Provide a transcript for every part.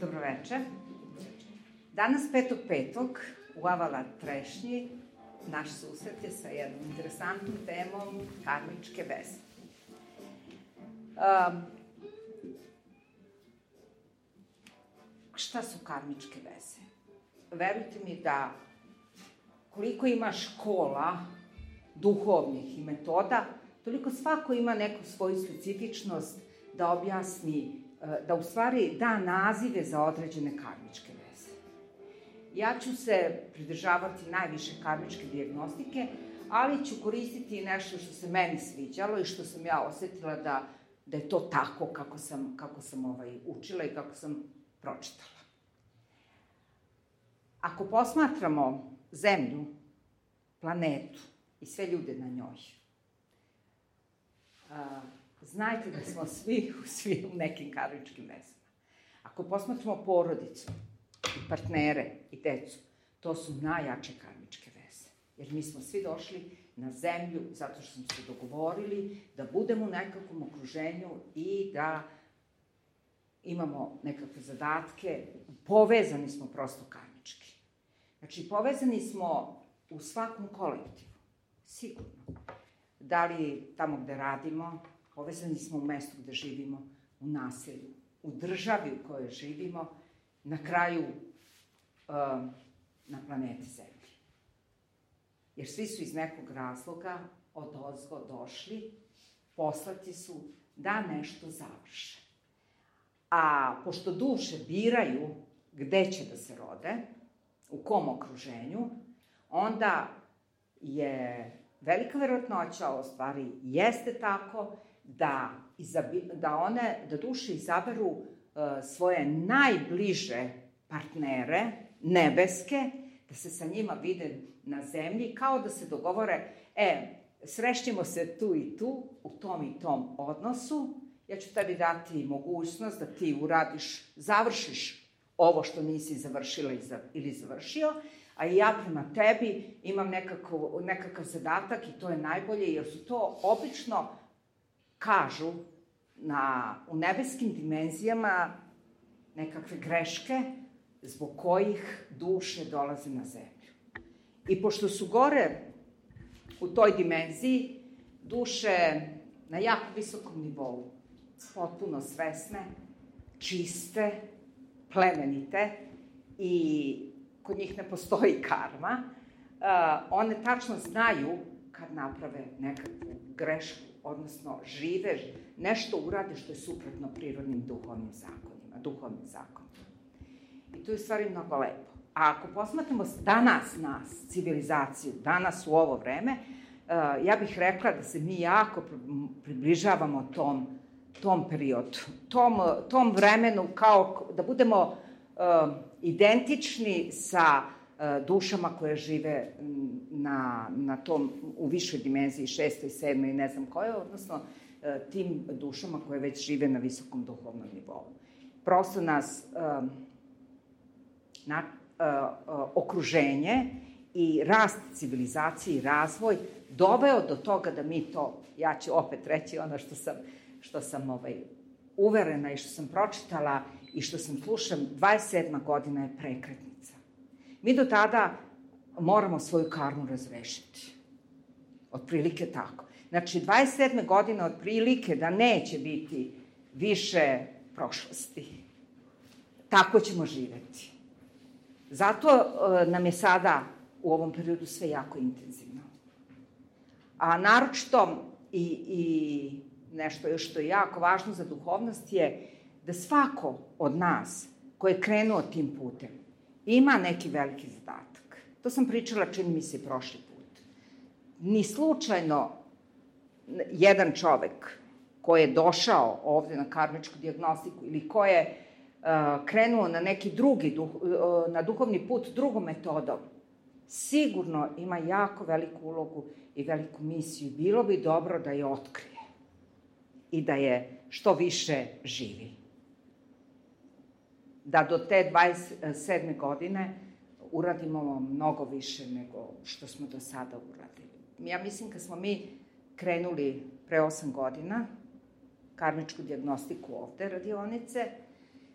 Dobroveče. Danas 5.5. u Avala Trešnji naš susret je sa jednom interesantnom temom karmičke veze. Šta su karmičke veze? Verujte mi da koliko ima škola duhovnih i metoda, toliko svako ima neku svoju specifičnost da objasni, da u stvari da nazive za određene karmičke veze. Ja ću se pridržavati najviše karmičke dijagnostike, ali ću koristiti nešto što se meni sviđalo i što sam ja osetila da je to tako kako sam učila i kako sam pročitala. Ako posmatramo Zemlju, planetu i sve ljude na njoj, znajte da smo svi u nekim karmičkim vezama. Ako posmatramo porodicu, i partnere, i decu, to su najjače karmičke veze. Jer mi smo svi došli na Zemlju zato što smo se dogovorili da budemo u nekakvom okruženju i da imamo nekakve zadatke. Povezani smo prosto karmički. Znači, povezani smo u svakom kolektivu, sigurno. Da li tamo gde radimo, povezani smo u mestu gde živimo, u naselju, u državi u kojoj živimo, na kraju na planeti Zemlji. Jer svi su iz nekog razloga odozgo došli, poslati su da nešto završe. A pošto duše biraju gde će da se rode, u kom okruženju, onda je velika verovatnoća, u stvari jeste tako, da duše izaberu svoje najbliže partnere, nebeske, da se sa njima vide na zemlji, kao da se dogovore, srećemo se tu i tu, u tom i tom odnosu, ja ću tebi dati mogućnost da ti uradiš, završiš ovo što nisi završila ili završio, a i ja prema tebi imam nekakav zadatak i to je najbolje, jer su to obično, kažu, u nebeskim dimenzijama nekakve greške zbog kojih duše dolaze na Zemlju. I pošto su gore u toj dimenziji duše na jako visokom nivou, potpuno svesne, čiste, plemenite i kod njih ne postoji karma, one tačno znaju kad naprave nekakvu grešku, odnosno žive, nešto urade što je suprotno prirodnim duhovnim zakonima. I to je u stvari mnogo lepo. A ako posmatramo danas nas, civilizaciju, danas u ovo vreme, ja bih rekla da se mi jako približavamo tom periodu, tom vremenu, kao da budemo identični sa dušama koje žive u višoj dimenziji, 6. i 7. i ne znam koje, odnosno tim dušama koje već žive na visokom duhovnom nivou. Prosto nas okruženje i rast civilizacije i razvoj doveo do toga da mi to, ja ću opet reći ono što sam uverena i što sam pročitala i što sam slušam, 27. godina je prekretnica. Mi do tada moramo svoju karmu razrešiti. Otprilike tako. Znači, 27. godine otprilike da neće biti više prošlosti. Tako ćemo živeti. Zato nam je sada u ovom periodu sve jako intenzivno. A naročito i nešto još što je jako važno za duhovnost je da svako od nas koji je krenuo tim putem ima neki veliki zadatak. To sam pričala, čini mi se, prošli put. Ni slučajno jedan čovek koji je došao ovde na karmičku dijagnostiku ili ko je krenuo na neki drugi, na duhovni put drugom metodom, sigurno ima jako veliku ulogu i veliku misiju. Bilo bi dobro da je otkrije i da je što više živi. Da do te 27. godine uradimo mnogo više nego što smo do sada uradili. Ja mislim kad smo mi krenuli pre 8 godina karmičku dijagnostiku ovde radionice,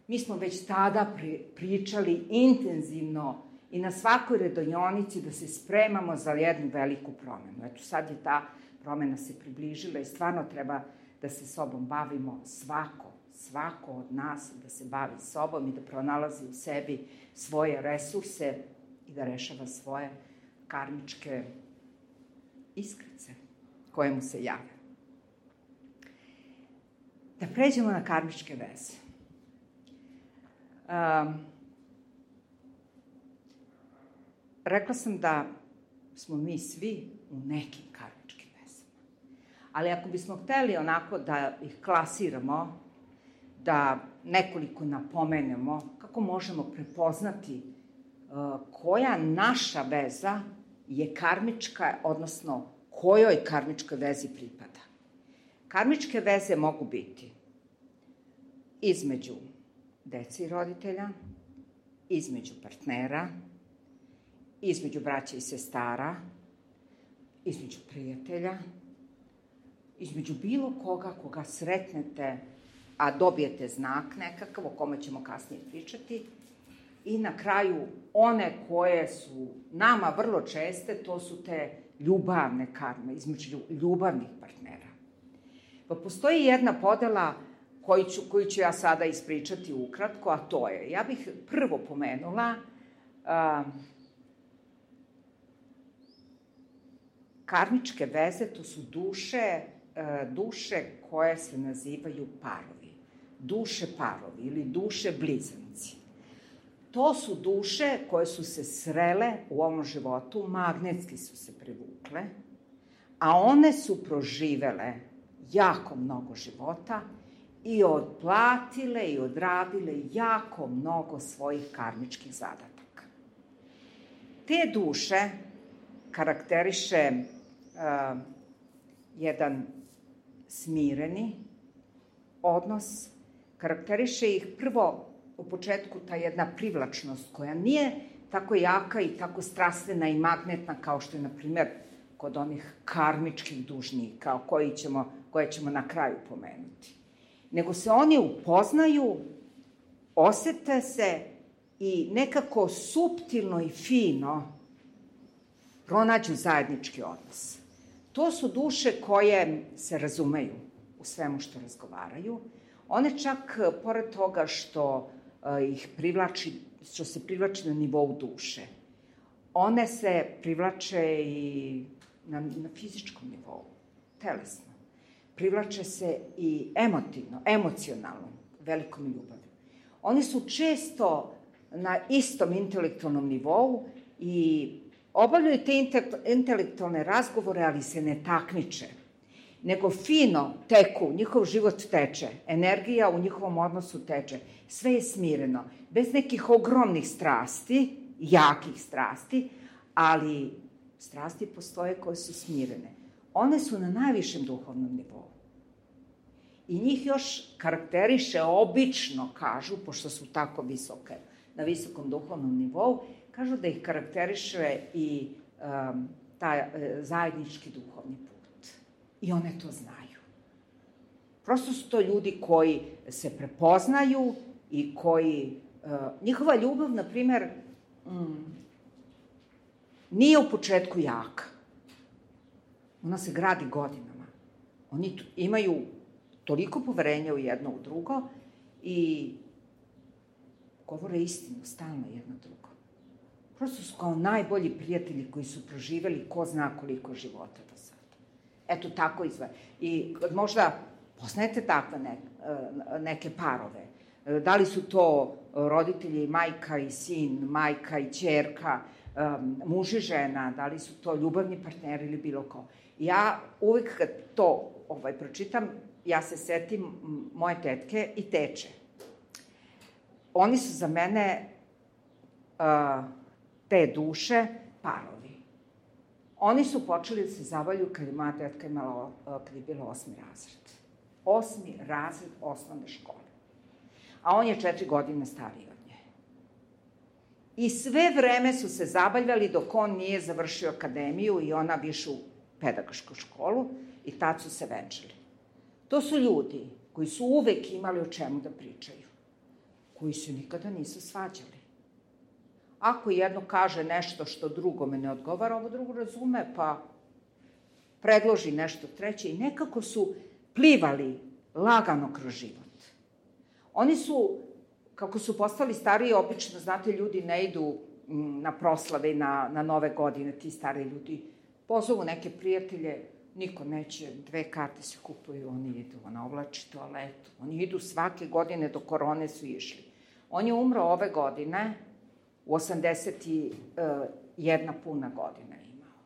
Mi smo već tada pričali intenzivno i na svakoj redonionici da se spremamo za jednu veliku promenu. Eto, sad je ta promena se približila i stvarno treba da se sobom bavimo svako od nas da se bavi sobom i da pronalazi u sebi svoje resurse i da rešava svoje karmičke iskrice koje mu se jave. Da pređemo na karmičke veze. Rekla sam da smo mi svi u nekim karmičkim vezama. Ali ako bismo hteli onako da ih klasiramo, da nekoliko napomenemo kako možemo prepoznati koja naša veza je karmička, odnosno kojoj karmičkoj vezi pripada. Karmičke veze mogu biti između dece i roditelja, između partnera, između braća i sestara, između prijatelja, između bilo koga sretnete, a dobijete znak nekakav o kome ćemo kasnije pričati, i na kraju one koje su nama vrlo česte, to su te ljubavne karme, između ljubavnih partnera. Pa postoji jedna podela koju ću ja sada ispričati ukratko, a to je, ja bih prvo pomenula karmičke veze, to su duše koje se nazivaju parovi. Duše parovi ili duše blizanci. To su duše koje su se srele u ovom životu, magnetski su se privukle, a one su proživele jako mnogo života i odplatile i odradile jako mnogo svojih karmičkih zadataka. Te duše karakteriše jedan smireni odnos, karakteriše ih prvo u početku ta jedna privlačnost koja nije tako jaka i tako strastvena i magnetna kao što je, na primer, kod onih karmičkih dužnika koje ćemo na kraju pomenuti. Nego se oni upoznaju, osete se i nekako suptilno i fino pronađu zajednički odnos. To su duše koje se razumeju u svemu što razgovaraju. One čak, pored toga što se privlači na nivou duše, one se privlače i na fizičkom nivou, telesno. Privlače se i emocionalno, velikom ljubavlju. Oni su često na istom intelektualnom nivou i obavljaju te intelektualne razgovore, ali se ne takmiče, nego fino teku, njihov život teče, energija u njihovom odnosu teče, sve je smireno, bez nekih ogromnih strasti, jakih strasti, ali strasti postoje koje su smirene. One su na najvišem duhovnom nivou. I njih još karakteriše, obično kažu, pošto su tako visoke, na visokom duhovnom nivou, kažu da ih karakteriše i taj zajednički duhovni put. I one to znaju. Prosto su to ljudi koji se prepoznaju i koji... njihova ljubav, na primer, nije u početku jaka. Ona se gradi godinama. Oni imaju toliko poverenja u jedno u drugo i govore istinu stalno jedno drugo. Prosto su kao najbolji prijatelji koji su proživeli ko zna koliko života do sada. Eto, tako izgleda. I možda poznajete takve neke parove. Da li su to roditelji, majka i sin, majka i ćerka, muž i žena, da li su to ljubavni partneri ili bilo ko. Ja uvek kad to pročitam, ja se setim moje tetke i teče. Oni su za mene te duše parovi. Oni su počeli da se zavaljuju kad je moja tetka imala, kad je bila 8. razred. 8. razred osnovne škole. A on je 4 godine stariji od nje. I sve vreme su se zabavljali dok on nije završio akademiju i ona višu pedagošku školu i tad su se venčali. To su ljudi koji su uvek imali o čemu da pričaju. koji se nikada nisu svađali. Ako jedno kaže nešto što drugome ne odgovara, ovo drugo razume, pa predloži nešto treće i nekako su plivali lagano kroz život. Oni su, kako su postali stariji, obično, znate, ljudi ne idu na proslave i na nove godine, ti stari ljudi pozovu neke prijatelje, niko neće, 2 karte se kupuju, oni idu, ona oblači toaletu, oni idu svake godine, do korone su išli. On je umro ove godine, u 81 puna godina imao.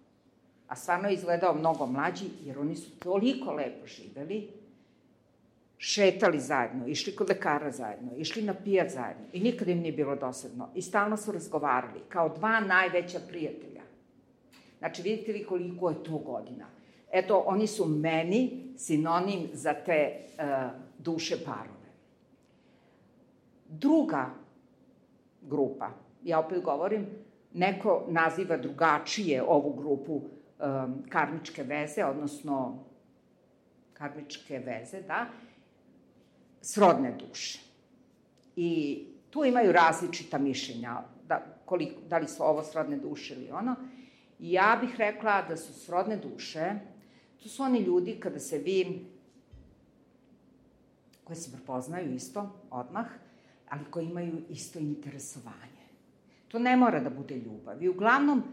A stvarno je izgledao mnogo mlađi, jer oni su toliko lepo živeli, šetali zajedno, išli kod lekara zajedno, išli na pijac zajedno i nikad im nije bilo dosadno. I stalno su razgovarali, kao 2 najveća prijatelja. Znači, vidite vi koliko je to godina. Eto, oni su meni sinonim za te duše parove. Druga grupa, ja opet govorim, neko naziva drugačije ovu grupu karmičke veze, odnosno karmičke veze, da, srodne duše. I tu imaju različita mišljenja, da li su ovo srodne duše ili ono. I ja bih rekla da su srodne duše, to su oni ljudi kada se vi, koji se prepoznaju isto, odmah, ali koji imaju isto interesovanje. To ne mora da bude ljubav. I uglavnom,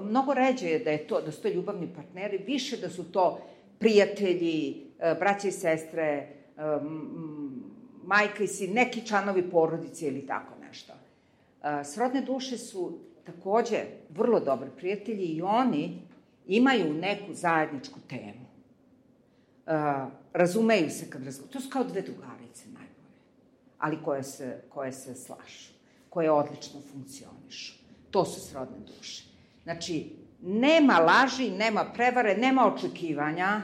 mnogo ređe je da su to ljubavni partneri, više da su to prijatelji, braće i sestre, majka i sin, neki članovi porodice ili tako nešto. Srodne duše su takođe vrlo dobri prijatelji i oni imaju neku zajedničku temu. Razumeju se kad razgovaraju. To su kao 2 drugarice najbolje, ali koje se slažu, koje odlično funkcionišu. To su srodne duše. Znači, nema laži, nema prevare, nema očekivanja,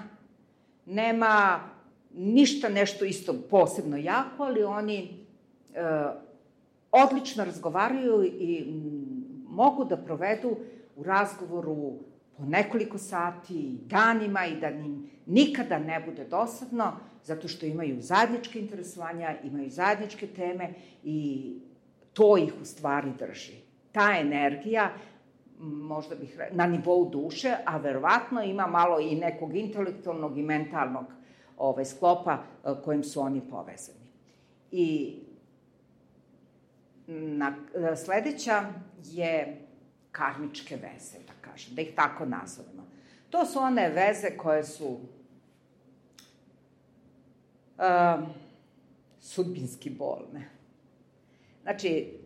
nema ništa nešto isto posebno jako, ali oni odlično razgovaraju i mogu da provedu u razgovoru po nekoliko sati, danima i da im nikada ne bude dosadno, zato što imaju zajedničke interesovanja, imaju zajedničke teme i to ih u stvari drži. Ta energija, možda bih rekla, na nivou duše, a verovatno ima malo i nekog intelektualnog i mentalnog sklopa kojim su oni povezani. I sledeća je karmičke veze, da kažem, da ih tako nazovemo. To su one veze koje su sudbinski bolne. Znači,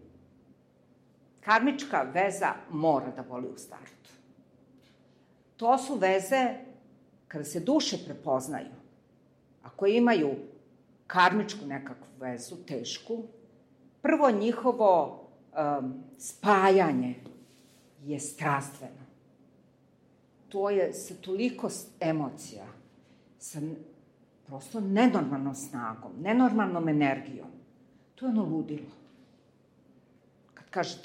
karmička veza mora da boli u startu. To su veze kada se duše prepoznaju. Ako imaju karmičku nekakvu vezu, tešku, prvo njihovo spajanje je strastveno. To je sa toliko emocija, sa prosto nenormalnom snagom, nenormalnom energijom. To je ono ludilo.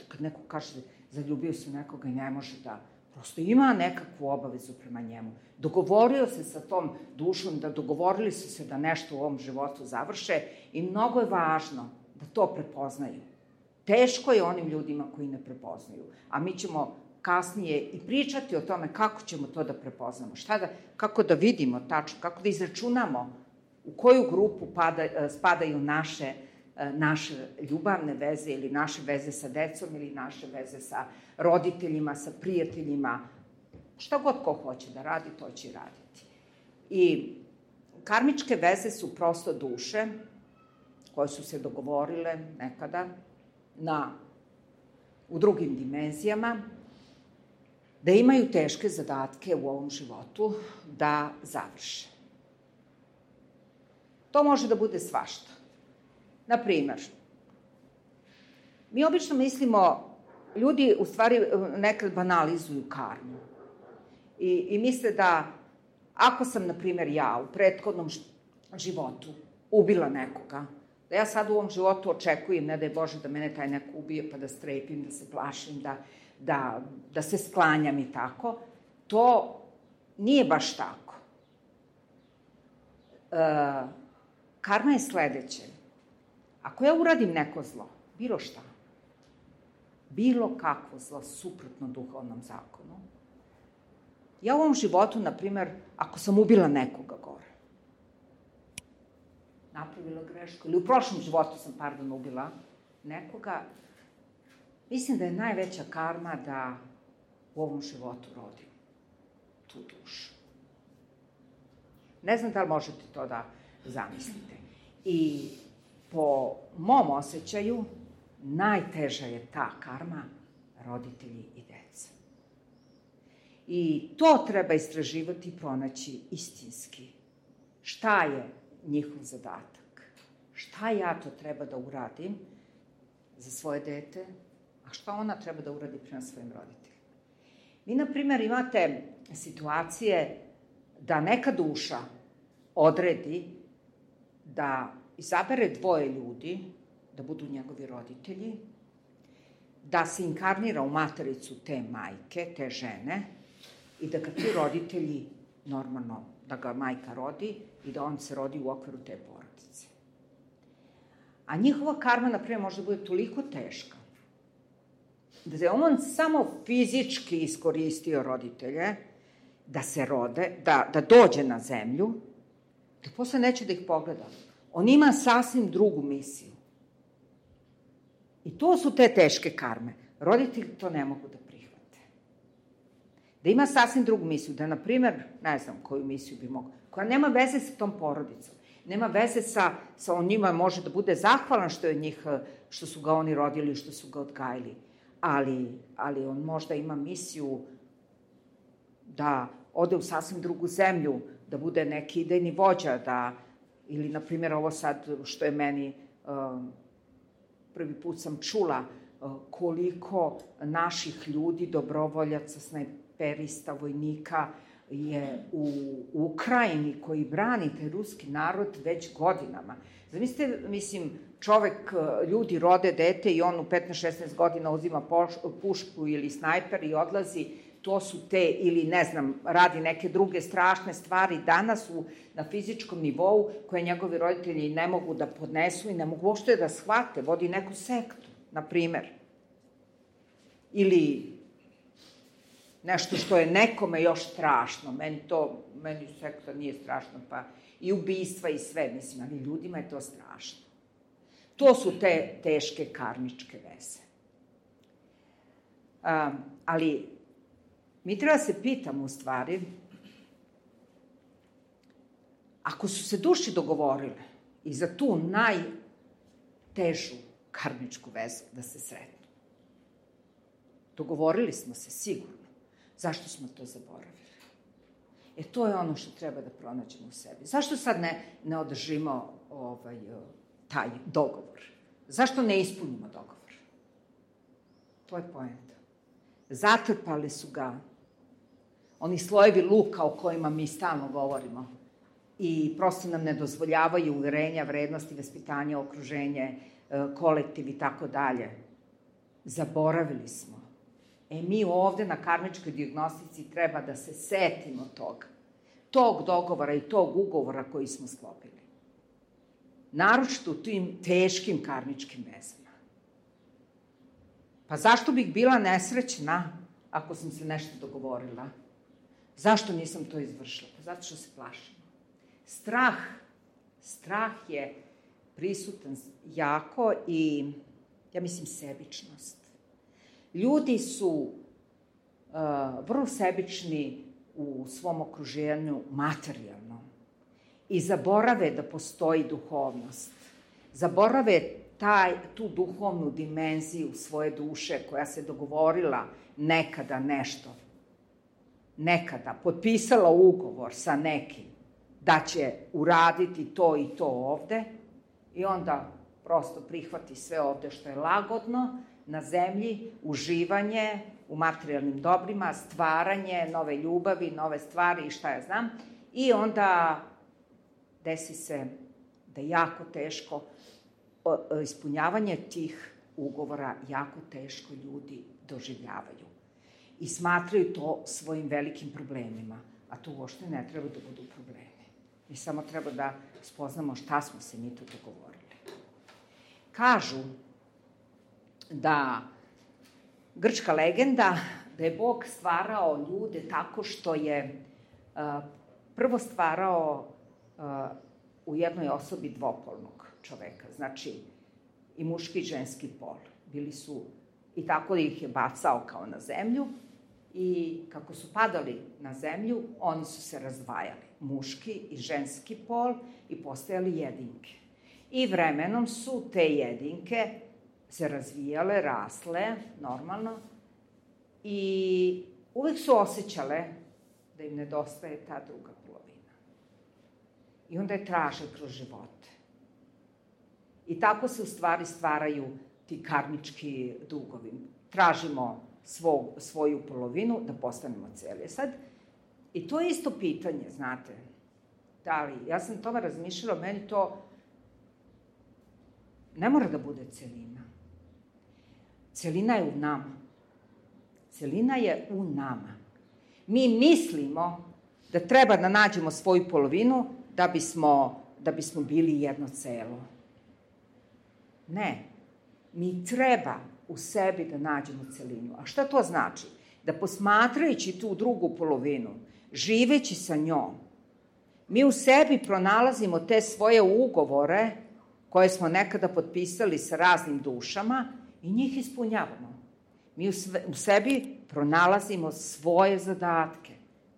Kad neko kaže zaljubio se u nekoga i ne može da, prosto ima nekakvu obavezu prema njemu. Dogovorio se sa tom dušom, dogovorili su se da nešto u ovom životu završe i mnogo je važno da to prepoznaju. Teško je onim ljudima koji ne prepoznaju, a mi ćemo kasnije i pričati o tome kako ćemo to da prepoznamo, kako da vidimo tačno, kako da izračunamo u koju grupu spadaju naše ljubavne veze ili naše veze sa decom ili naše veze sa roditeljima, sa prijateljima. Šta god ko hoće da radi, to će i raditi. I karmičke veze su prosto duše koje su se dogovorile nekada u drugim dimenzijama, da imaju teške zadatke u ovom životu da završe. To može da bude svašta. Naprimer, mi obično mislimo, ljudi u stvari nekad banalizuju karmu i misle da ako sam, na primjer, ja u prethodnom životu ubila nekoga, da ja sad u ovom životu očekujem, ne daj Bože, da mene taj neko ubije, pa da strepim, da se plašim, da se sklanjam i tako. To nije baš tako. karma je sledeće. Ako ja uradim neko zlo, bilo šta, bilo kakvo zlo suprotno duhovnom zakonu, ja u ovom životu, na primer, ako sam ubila nekoga gore, napravila grešku, ili u prošlom životu sam, ubila nekoga, mislim da je najveća karma da u ovom životu rodim tu dušu. Ne znam da li možete to da zamislite. I po mom osjećaju, najteža je ta karma roditelji i deca. I to treba istraživati i pronaći istinski. Šta je njihov zadatak? Šta ja to treba da uradim za svoje dete, a šta ona treba da uradi prema svojim roditeljima? Vi, na primjer, imate situacije da neka duša odredi da izabere dvoje ljudi, da budu njegovi roditelji, da se inkarnira u matericu te majke, te žene, i da ga ti roditelji, normalno, da ga majka rodi i da on se rodi u okviru te porodice. A njihova karma, na primjer, može da bude toliko teška, da je on samo fizički iskoristio roditelje, da se rode, da dođe na zemlju, da posle neće da ih pogleda. On ima sasvim drugu misiju. I to su te teške karme. Roditelji to ne mogu da prihvate. Da ima sasvim drugu misiju, da, na primer, ne znam koju misiju bi mogla, koja nema veze sa tom porodicom, nema veze sa on njima, može da bude zahvalan što su ga oni rodili, što su ga odgajili, ali on možda ima misiju da ode u sasvim drugu zemlju, da bude neki idejni vođa, ili, na primjer, ovo sad što je meni, prvi put sam čula koliko naših ljudi, dobrovoljaca, snajperista, vojnika je u Ukrajini koji brani taj ruski narod već godinama. Zamislite, ljudi rode dete i on u 15-16 godina uzima pušku ili snajper i odlazi. To su te, ili ne znam, radi neke druge strašne stvari danas na fizičkom nivou koje njegovi roditelji ne mogu da podnesu i ne mogu uopšte da shvate, vodi neku sektu, na primer. Ili nešto što je nekome još strašno, meni sekta nije strašno, pa i ubistva i sve, mislim, ali ljudima je to strašno. To su te teške karmičke veze. Ali mi treba se pitamo, u stvari, ako su se duše dogovorile i za tu najtežu karmičku vezu da se sretnu, dogovorili smo se sigurno, zašto smo to zaboravili? To je ono što treba da pronađemo u sebi. Zašto sad ne održimo taj dogovor? Zašto ne ispunimo dogovor? To je poenta. Zatrpali su ga oni slojevi luka o kojima mi stalno govorimo i prosto nam ne dozvoljavaju uverenja, vrednosti, vaspitanja, okruženje, kolektiv i tako dalje. Zaboravili smo. Mi ovde na karmičkoj dijagnostici treba da se setimo tog dogovora i tog ugovora koji smo sklopili. Naročito u tim teškim karmičkim vezama. Pa zašto bih bila nesrećna ako sam se nešto dogovorila? Zašto nisam to izvršila? Pa zato što se plašimo. Strah je prisutan jako i, ja mislim, sebičnost. Ljudi su vrlo sebični u svom okruženju materijalno i zaborave da postoji duhovnost. Zaborave tu duhovnu dimenziju svoje duše koja se dogovorila nekada nešto. Nekada potpisala ugovor sa nekim da će uraditi to i to ovde i onda prosto prihvati sve ovde što je lagodno na zemlji, uživanje u materijalnim dobrima, stvaranje, nove ljubavi, nove stvari i šta ja znam. I onda desi se da jako teško ispunjavanje tih ugovora jako teško ljudi doživljavaju. I smatraju to svojim velikim problemima, a to uopšte ne treba da budu problemi. Mi samo treba da spoznamo šta smo se mi tu dogovorili. Kažu da grčka legenda da je Bog stvarao ljude tako što je prvo stvarao u jednoj osobi dvopolnog čoveka, znači i muški i ženski pol. Bili su, i tako ih je bacao kao na zemlju, i kako su padali na zemlju, oni su se razdvajali, muški i ženski pol, i postajali jedinke. I vremenom su te jedinke se razvijale, rasle, normalno, i uvek su osjećale da im nedostaje ta druga polovina. I onda je traže kroz živote. I tako se u stvari stvaraju ti karmički dugovi. Tražimo svoju polovinu da postanemo celi. Sad, i to je isto pitanje, znate, da li, ja sam tome razmišljala, meni to ne mora da bude celina. Celina je u nama. Celina je u nama. Mi mislimo da treba da nađemo svoju polovinu da bismo bili jedno celo. Ne. Mi treba u sebi da nađemo celinu. A šta to znači? Da posmatrajući tu drugu polovinu, živeći sa njom, mi u sebi pronalazimo te svoje ugovore koje smo nekada potpisali sa raznim dušama i njih ispunjavamo. Mi u sebi pronalazimo svoje zadatke.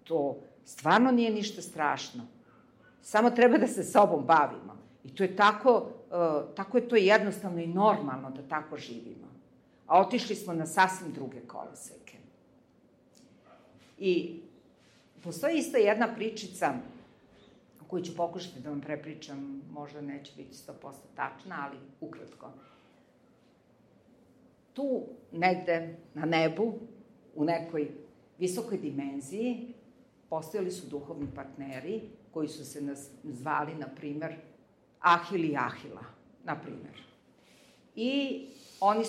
To stvarno nije ništa strašno. Samo treba da se sobom bavimo. I to je tako je to jednostavno i normalno da tako živimo. A otišli smo na sasvim druge koloseke. I postoji isto jedna pričica koju ću pokušati da vam prepričam, možda neće biti 100% tačna, ali ukratko. Tu negde na nebu, u nekoj visokoj dimenziji, postojali su duhovni partneri koji su se zvali, na primer, Ahil i Ahila, na primer. I oni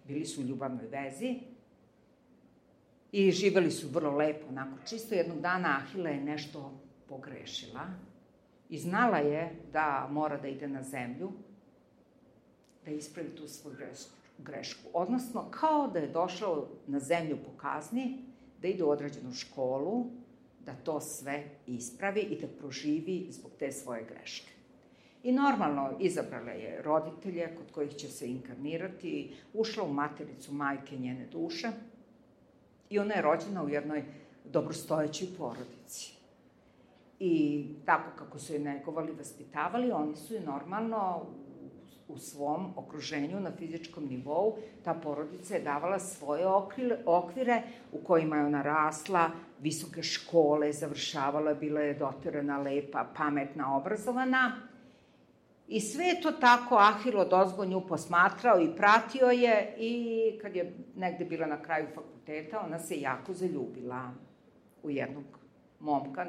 bili su u ljubavnoj vezi i živeli su vrlo lepo, onako čisto. Jednog dana Ahila je nešto pogrešila i znala je da mora da ide na zemlju, da ispravi tu svoju grešku. Odnosno, kao da je došao na zemlju po kazni, da ide u određenu školu, da to sve ispravi i da proživi zbog te svoje greške. I normalno izabrala je roditelje kod kojih će se inkarnirati, ušla u matericu majke njene duše i ona je rođena u jednoj dobrostojećoj porodici. I tako kako su je negovali, vaspitavali, oni su je normalno u svom okruženju na fizičkom nivou, ta porodica je davala svoje okvire u kojima je ona rasla, visoke škole završavala, bila je doterana, lepa, pametna, obrazovana. I sve je to tako Ahil odozgo nju posmatrao i pratio je, i kad je negde bila na kraju fakulteta, ona se jako zaljubila u jednog momka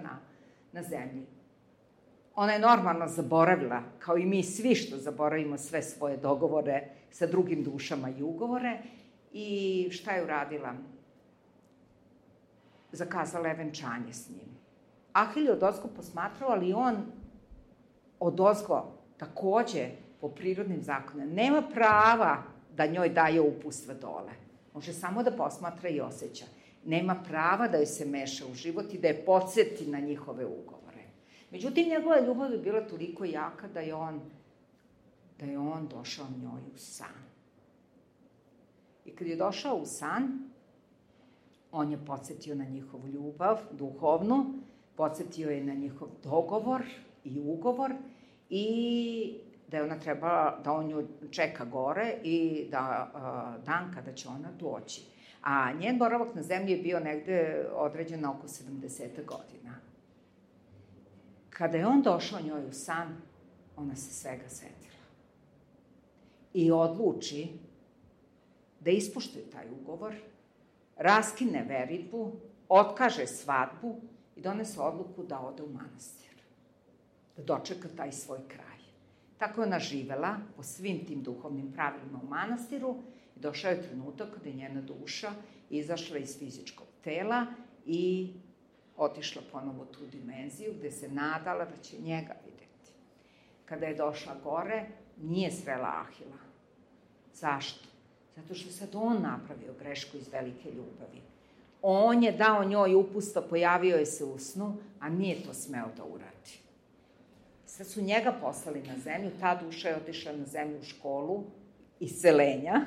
na zemlji. Ona je normalno zaboravila, kao i mi svi što zaboravimo sve svoje dogovore sa drugim dušama i ugovore, i šta je uradila? Zakazala je venčanje s njim. Ahil je odozgo posmatrao, ali on odozgo takođe po prirodnim zakonima nema prava da njoj daje uputstva dole. Može samo da posmatra i osjeća. Nema prava da joj se meša u život i da je podsjeti na njihove ugovore. Međutim, njegova ljubav je bila toliko jaka da je on došao njoj u san. I kad je došao u san, on je podsjetio na njihovu ljubav, duhovnu, podsjetio je na njihov dogovor i ugovor, i da je ona trebala, da on nju čeka gore i da dan kada će ona doći. A njen boravak na zemlji je bio negde određen na oko 70 godina. Kada je on došao njoj u san, ona se svega setila. I odluči da ispoštuje taj ugovor, raskine veritbu, otkaže svadbu i donese odluku da ode u manastir. Da dočeka taj svoj kraj. Tako je ona živela po svim tim duhovnim pravilima u manastiru i došao je trenutak kada je njena duša izašla iz fizičkog tela i otišla ponovo u tu dimenziju gde se nadala da će njega videti. Kada je došla gore, nije srela Ahila. Zašto? Zato što sad on napravio grešku iz velike ljubavi. On je dao njoj upustvo, pojavio je se u snu, a nije to smeo da uradi. Sad su njega poslali na zemlju, ta duša je otišla na zemlju u školu iscelenja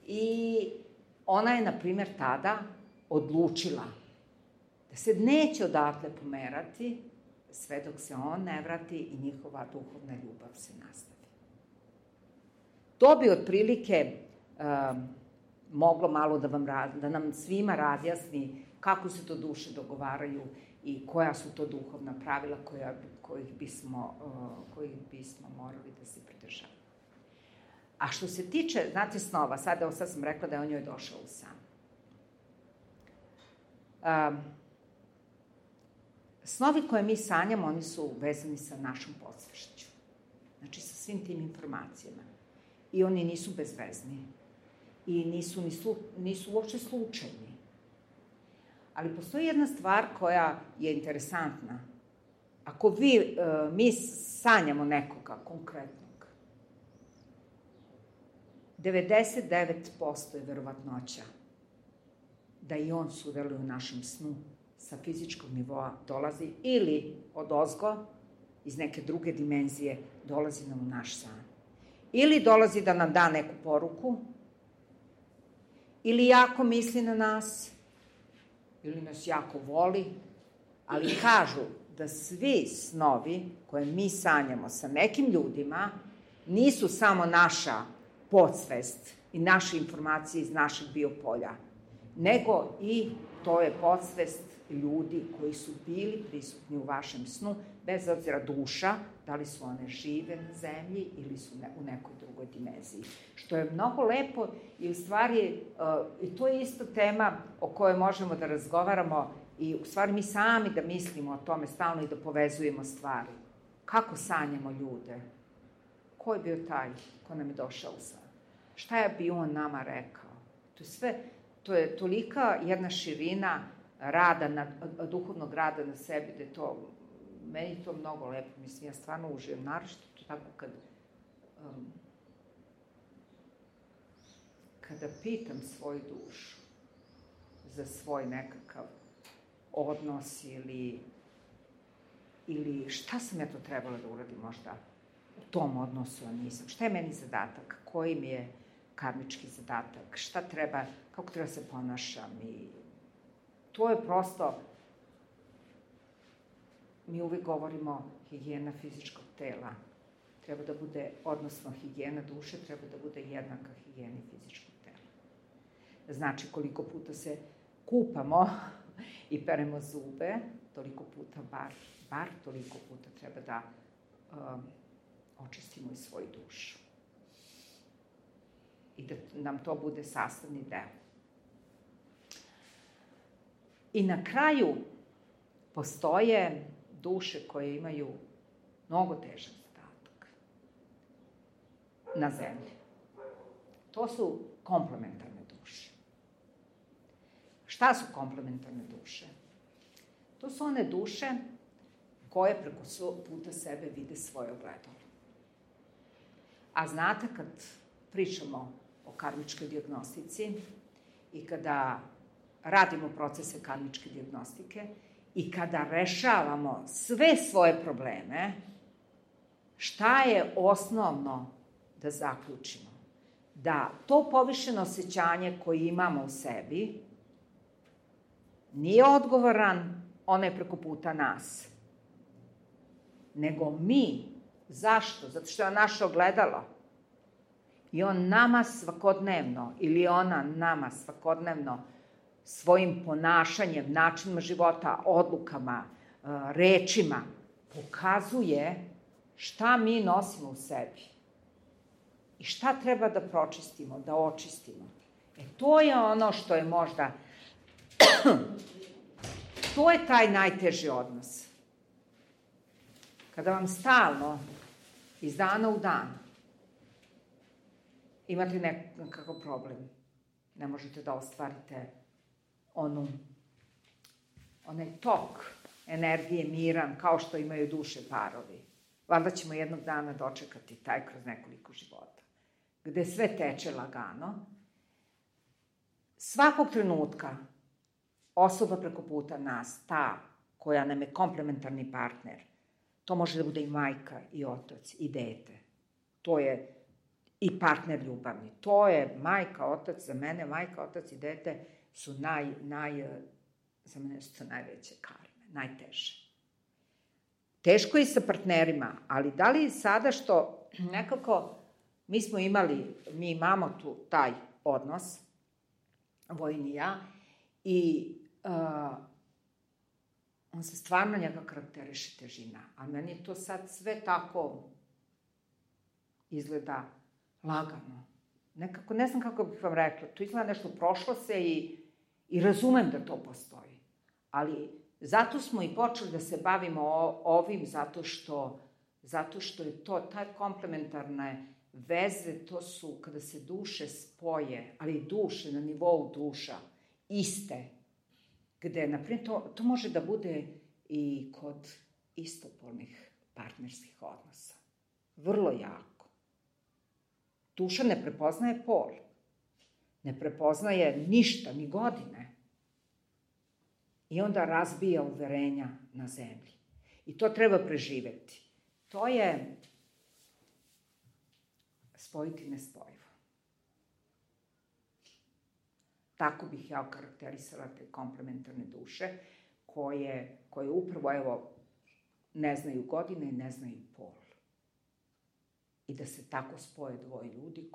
i ona je, na primjer, tada odlučila da se neće odatle pomerati sve dok se on ne vrati i njihova duhovna ljubav se nastavi. To bi otprilike moglo malo da nam svima razjasni kako se to duše dogovaraju i koja su to duhovna pravila kojih bismo morali da se pridržavamo. A što se tiče, znate, snova, sad sam rekla da je on njoj došao u san. Snovi koje mi sanjamo, oni su vezani sa našom podsvešću. Znači, sa svim tim informacijama. I oni nisu bezvezni. I nisu uopšte slučajni. Ali postoji jedna stvar koja je interesantna. Ako mi sanjamo nekoga konkretnog, 99% je verovatnoća da i on sudeluje u našem snu sa fizičkog nivoa dolazi ili odozgo, iz neke druge dimenzije, dolazi nam u naš san. Ili dolazi da nam da neku poruku, ili jako misli na nas, ili nas jako voli, ali kažu da svi snovi koje mi sanjamo sa nekim ljudima nisu samo naša podsvest i naše informacije iz našeg biopolja, nego i to je podsvest ljudi koji su bili prisutni u vašem snu, bez obzira duša, da li su one žive na zemlji ili su u nekoj drugoj dimenziji. Što je mnogo lepo i u stvari, i to je isto tema o kojoj možemo da razgovaramo i u stvari mi sami da mislimo o tome stalno i da povezujemo stvari. Kako sanjamo ljude? Ko je bio taj ko nam je došao u san? Šta je bio on nama rekao? To je tolika jedna širina duhovnog rada na sebi, da je to, meni je to mnogo lepo, mislim, ja stvarno uživam, naročito to tako kada pitam svoju dušu za svoj nekakav odnos ili šta sam ja to trebala da uradim možda u tom odnosu, a nisam. Šta je meni zadatak? Koji mi je karmički zadatak? Šta treba, kako treba se ponašam i to je prosto, mi uvijek govorimo higijena fizičkog tela. Treba da bude, odnosno higijena duše, treba da bude jednaka higijeni fizičkog tela. Znači, koliko puta se kupamo i peremo zube, toliko puta, bar toliko puta treba da očistimo i svoju dušu. I da nam to bude sastavni deo. I na kraju postoje duše koje imaju mnogo težak zadatak na zemlji. To su komplementarne duše. Šta su komplementarne duše? To su one duše koje preko puta sebe vide svoje ogledalo. A znate, kad pričamo o karmičkoj dijagnostici i kada radimo procese karmičke dijagnostike i kada rešavamo sve svoje probleme, šta je osnovno da zaključimo? Da to povišeno osjećanje koje imamo u sebi nije odgovoran onaj preko puta nas, nego mi. Zašto? Zato što je naše ogledalo. I on nama svakodnevno, ili ona nama svakodnevno, svojim ponašanjem, načinima života, odlukama, rečima, pokazuje šta mi nosimo u sebi. I šta treba da pročistimo, da očistimo. To je ono što je možda, to je taj najteži odnos. Kada vam stalno, iz dana u dan, imate nekakav problem, ne možete da ostvarite onaj tok energije miran, kao što imaju duše parovi. Valjda ćemo jednog dana dočekati taj kroz nekoliko života, gde sve teče lagano. Svakog trenutka osoba preko puta nas, ta koja nam je komplementarni partner, to može da bude i majka, i otac, i dete. To je i partner ljubavni. To je majka, otac, za mene majka, otac i dete su za mene su to najveće karme, najteže. Teško je i sa partnerima, ali da li sada što nekako mi imamo tu taj odnos, Vojin i ja, i on se stvarno njega karakteriše težina, a meni je to sad sve tako izgleda lagano. Nekako, ne znam kako bih vam rekla, to izgleda nešto prošlo se i razumem da to postoji. Ali zato smo i počeli da se bavimo ovim, zato što je to, taj komplementarne veze, to su kada se duše spoje, ali duše na nivou duša, iste, gde, naprimjer, to može da bude i kod istopolnih partnerskih odnosa. Vrlo jako. Duša ne prepoznaje pol. Ne prepoznaje ništa, ni godine. I onda razbija uverenja na zemlji. I to treba preživeti. To je spojiti nespojivo. Tako bih ja okarakterisala te komplementarne duše, koje upravo, evo, ne znaju godine i ne znaju pol. I da se tako spoje dvoje ljudi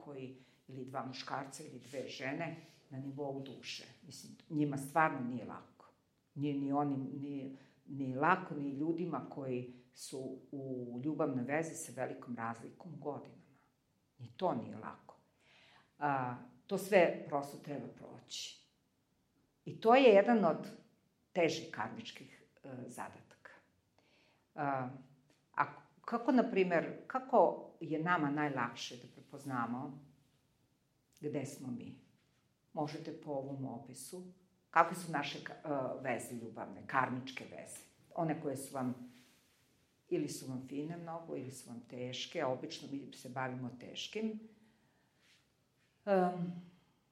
ili dva muškarca ili dve žene na nivou duše. Mislim, njima stvarno nije lako. Ni lako ni ljudima koji su u ljubavnoj vezi sa velikom razlikom u godinama. Ni to nije lako. To sve prosto treba proći. I to je jedan od težih karmičkih zadataka. Kako je nama najlakše da prepoznamo gde smo mi? Možete po ovom opisu. Kakve su naše veze ljubavne, karmičke veze? One koje su vam, ili su vam fine mnogo, ili su vam teške, a obično mi se bavimo teškim.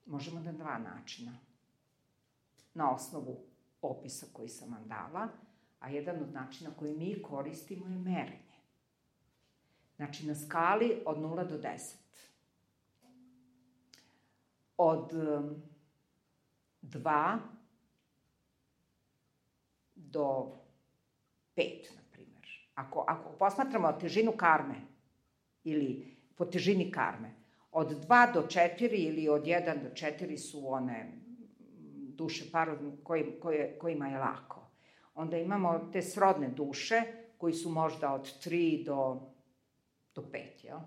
Možemo na dva načina. Na osnovu opisa koji sam vam dala, a jedan od načina koji mi koristimo je merenje. Znači, na skali od 0 do 10. Od 2 do 5, na primjer. Ako posmatramo težinu karme, ili po težini karme, od 2 do 4 ili od 1 do 4 su one duše parovi kojima je lako. Onda imamo te srodne duše koji su možda od 3 do 5, jel?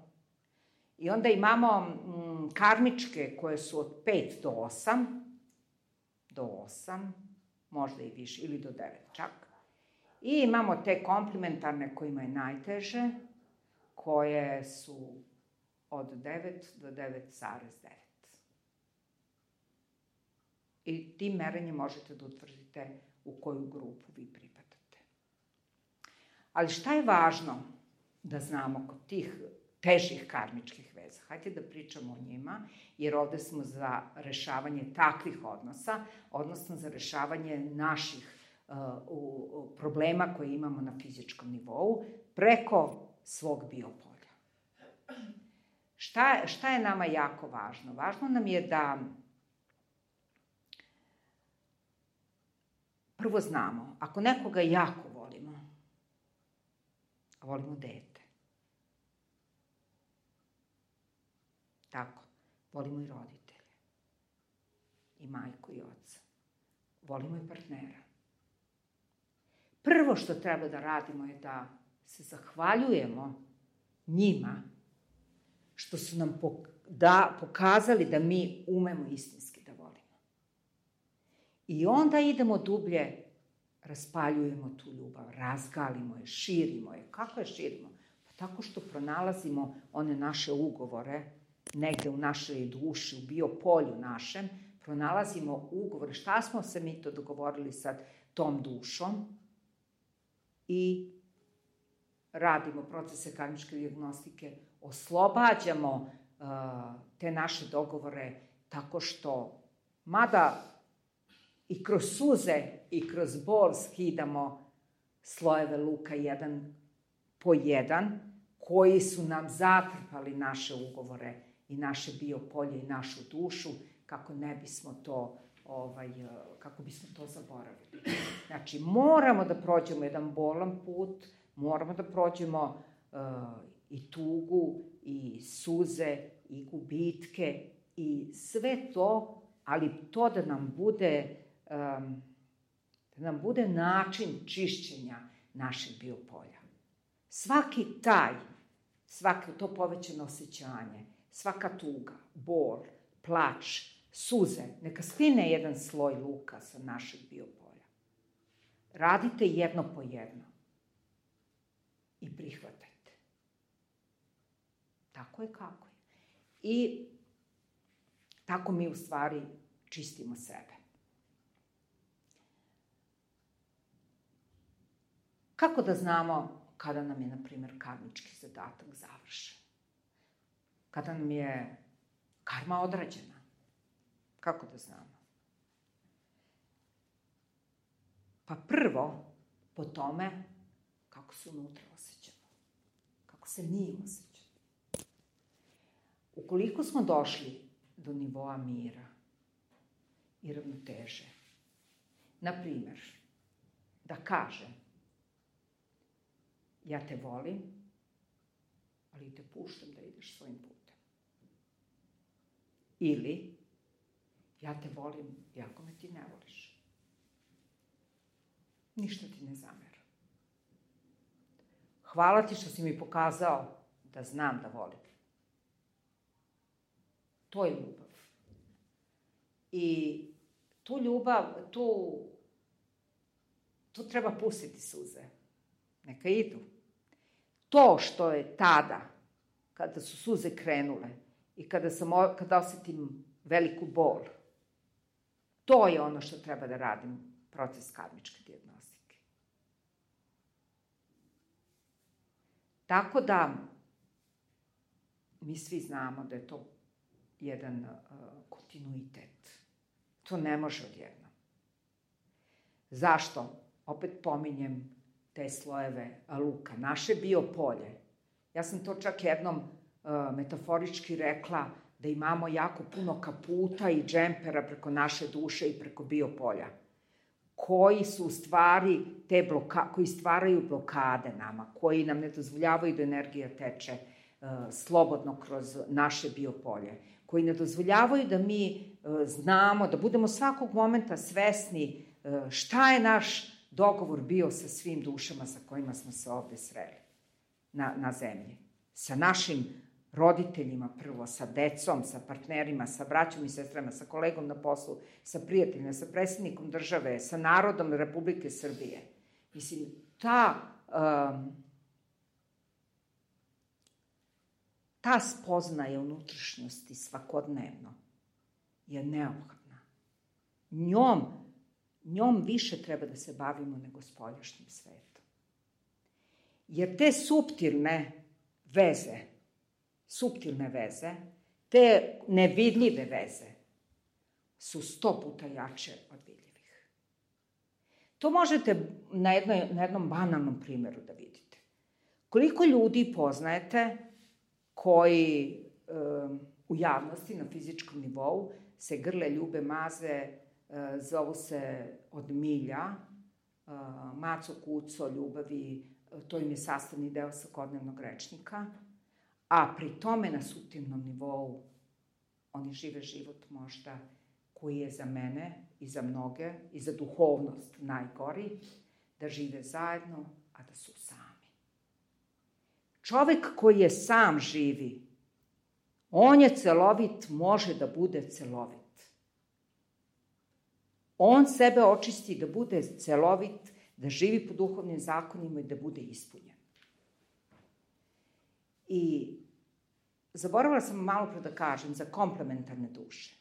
I onda imamo karmičke koje su od 5 do 8, možda i više, ili do 9 čak. I imamo te komplementarne kojima je najteže, koje su od 9 do 9,9. I tim merenjem možete da utvrdite u koju grupu vi pripadate. Ali šta je važno da znamo kod tih težih karmičkih veza? Hajde da pričamo o njima, jer ovde smo za rešavanje takvih odnosa, odnosno za rešavanje naših problema koje imamo na fizičkom nivou preko svog biopolja. Šta je nama jako važno? Važno nam je da prvo znamo, ako nekoga jako volimo, a volimo dete, tako, volimo i roditelje, i majku i oca, volimo i partnera. Prvo što treba da radimo je da se zahvaljujemo njima što su nam pokazali da mi umemo istinski da volimo. I onda idemo dublje, raspaljujemo tu ljubav, razgalimo je, širimo je. Kako je širimo? Pa tako što pronalazimo one naše ugovore, negde u našoj duši, u biopolju našem, pronalazimo ugovore. Šta smo se mi to dogovorili sad tom dušom i radimo procese karmičke dijagnostike, oslobađamo te naše dogovore tako što, mada i kroz suze i kroz bol skidamo slojeve luka jedan po jedan, koji su nam zatrpali naše ugovore i naše biopolje i našu dušu, kako ne bismo to, kako bismo to zaboravili. Znači, moramo da prođemo jedan bolan put, moramo da prođemo i tugu, i suze, i gubitke, i sve to, ali to da nam bude način čišćenja našeg biopolja. Svako to povećano osjećanje, svaka tuga, bol, plač, suze, neka skline jedan sloj luka sa našeg biopolja. Radite jedno po jedno i prihvatajte. Tako je kako je. I tako mi u stvari čistimo sebe. Kako da znamo kada nam je, na primjer, karmički zadatak završen? Kada nam je karma odrađena? Kako da znamo? Pa prvo, po tome kako se unutra osjećamo. Kako se mi osjećamo. Ukoliko smo došli do nivoa mira i ravnoteže, na primjer, da kažem, ja te volim, ali te puštam da ideš svojim putem. Ili, ja te volim, iako me ti ne voliš. Ništa ti ne zameram. Hvala ti što si mi pokazao da znam da volim. To je ljubav. I tu ljubav, tu treba pustiti suze. Neka idu. To što je tada, kada su suze krenule i kada osetim veliku bol, to je ono što treba da radim, proces karmičke dijagnostike. Tako da, mi svi znamo da je to jedan kontinuitet. To ne može odjednom. Zašto? Opet pominjem te slojeve luka, naše biopolje. Ja sam to čak jednom metaforički rekla, da imamo jako puno kaputa i džempera preko naše duše i preko biopolja, koji su u stvari koji stvaraju blokade nama, koji nam ne dozvoljavaju da energija teče slobodno kroz naše biopolje, koji ne dozvoljavaju da mi znamo, da budemo svakog momenta svesni šta je naš dogovor bio sa svim dušama sa kojima smo se ovde sreli na zemlji. Sa našim roditeljima prvo, sa decom, sa partnerima, sa braćom i sestrama, sa kolegom na poslu, sa prijateljima, sa predsjednikom države, sa narodom Republike Srbije. Mislim, ta spoznaja unutrašnjosti svakodnevno je neophodna. Njom više treba da se bavimo nego spoljašnjim svetom. Jer te suptilne veze, te nevidljive veze su 100 puta jače od vidljivih. To možete na jednom banalnom primjeru da vidite. Koliko ljudi poznajete koji u javnosti, na fizičkom nivou, se grle, ljube, maze, zovu se od milja, maco, kuco, ljubavi, to im je sastavni deo svakodnevnog rečnika, a pri tome na suptilnom nivou oni žive život možda koji je za mene i za mnoge i za duhovnost najgori, da žive zajedno, a da su sami. Čovek koji je sam živi, on je celovit, može da bude celovit. On sebe očisti da bude celovit, da živi po duhovnim zakonima i da bude ispunjen. I zaboravila sam malo pre da kažem za komplementarne duše.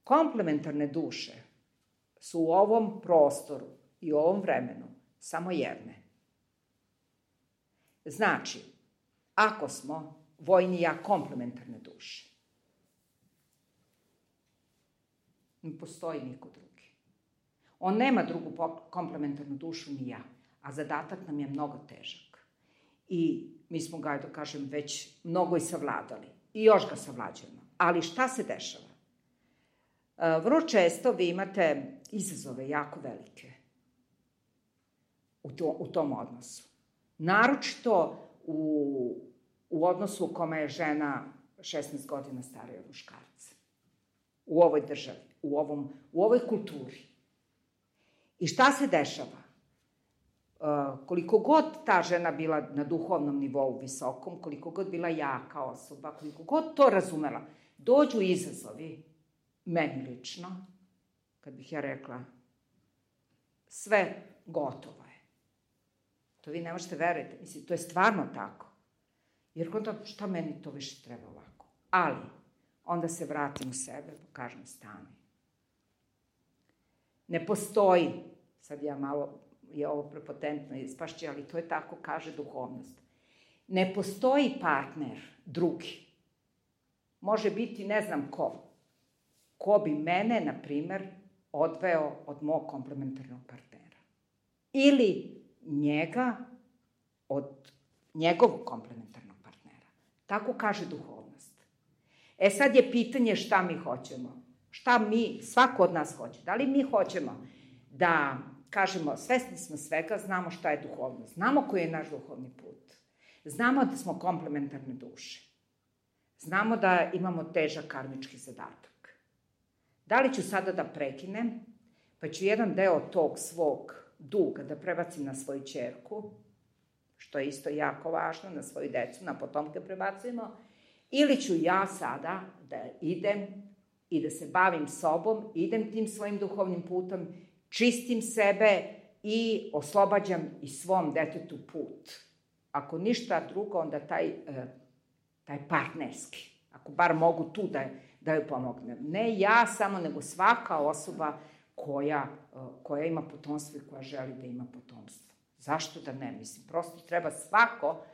Komplementarne duše su u ovom prostoru i u ovom vremenu samo jedne. Znači, ako smo vojni i ja komplementarne duše, ne postoji niko drugi. On nema drugu komplementarnu dušu ni ja, a zadatak nam je mnogo težak. I mi smo ga, da kažem, već mnogo i savladali. I još ga savlađujemo. Ali šta se dešava? Vrlo često vi imate izazove jako velike u tom odnosu. Naročito u odnosu u kome je žena 16 godina starija od muškarca. U ovoj državi, u ovoj kulturi. I šta se dešava? Koliko god ta žena bila na duhovnom nivou visokom, koliko god bila jaka osoba, koliko god to razumela, dođu izazovi, meni lično, kad bih ja rekla, sve gotovo je. To vi ne možete veriti. Mislim, to je stvarno tako. Jer onda, šta meni to više treba ovako? Ali, onda se vratim u sebe, pa kažem, stani. Ne postoji, sad ja malo, je ovo prepotentno ispašće, ali to je tako, kaže duhovnost. Ne postoji partner drugi. Može biti ne znam ko bi mene, na primer, odveo od mog komplementarnog partnera. Ili njega od njegovog komplementarnog partnera. Tako kaže duhovnost. Sad je pitanje šta mi hoćemo. Šta mi, svako od nas hoće. Da li mi hoćemo da kažemo, svesni smo svega, znamo šta je duhovnost. Znamo koji je naš duhovni put. Znamo da smo komplementarne duše. Znamo da imamo težak karmički zadatak. Da li ću sada da prekinem, pa ću jedan deo tog svog duga da prebacim na svoju ćerku, što je isto jako važno, na svoju decu, na potomke prebacujemo, ili ću ja sada da idem i da se bavim sobom, idem tim svojim duhovnim putom, čistim sebe i oslobađam i svom detetu put. Ako ništa drugo, onda taj partnerski. Ako bar mogu tu da joj pomognem. Ne ja samo, nego svaka osoba koja ima potomstvo i koja želi da ima potomstvo. Zašto da ne? Mislim, prosto treba svako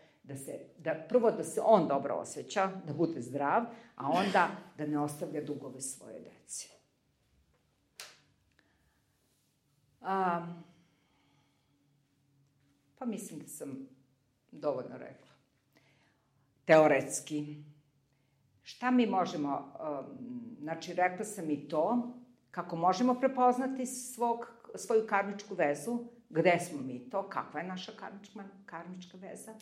prvo da se on dobro osjeća, da bude zdrav, a onda da ne ostavlja dugove svoje deci. Pa mislim da sam dovoljno rekla. Teoretski. Šta mi možemo, znači rekla sam i to, kako možemo prepoznati svoju karmičku vezu, gde smo mi to, kakva je naša karmička veza,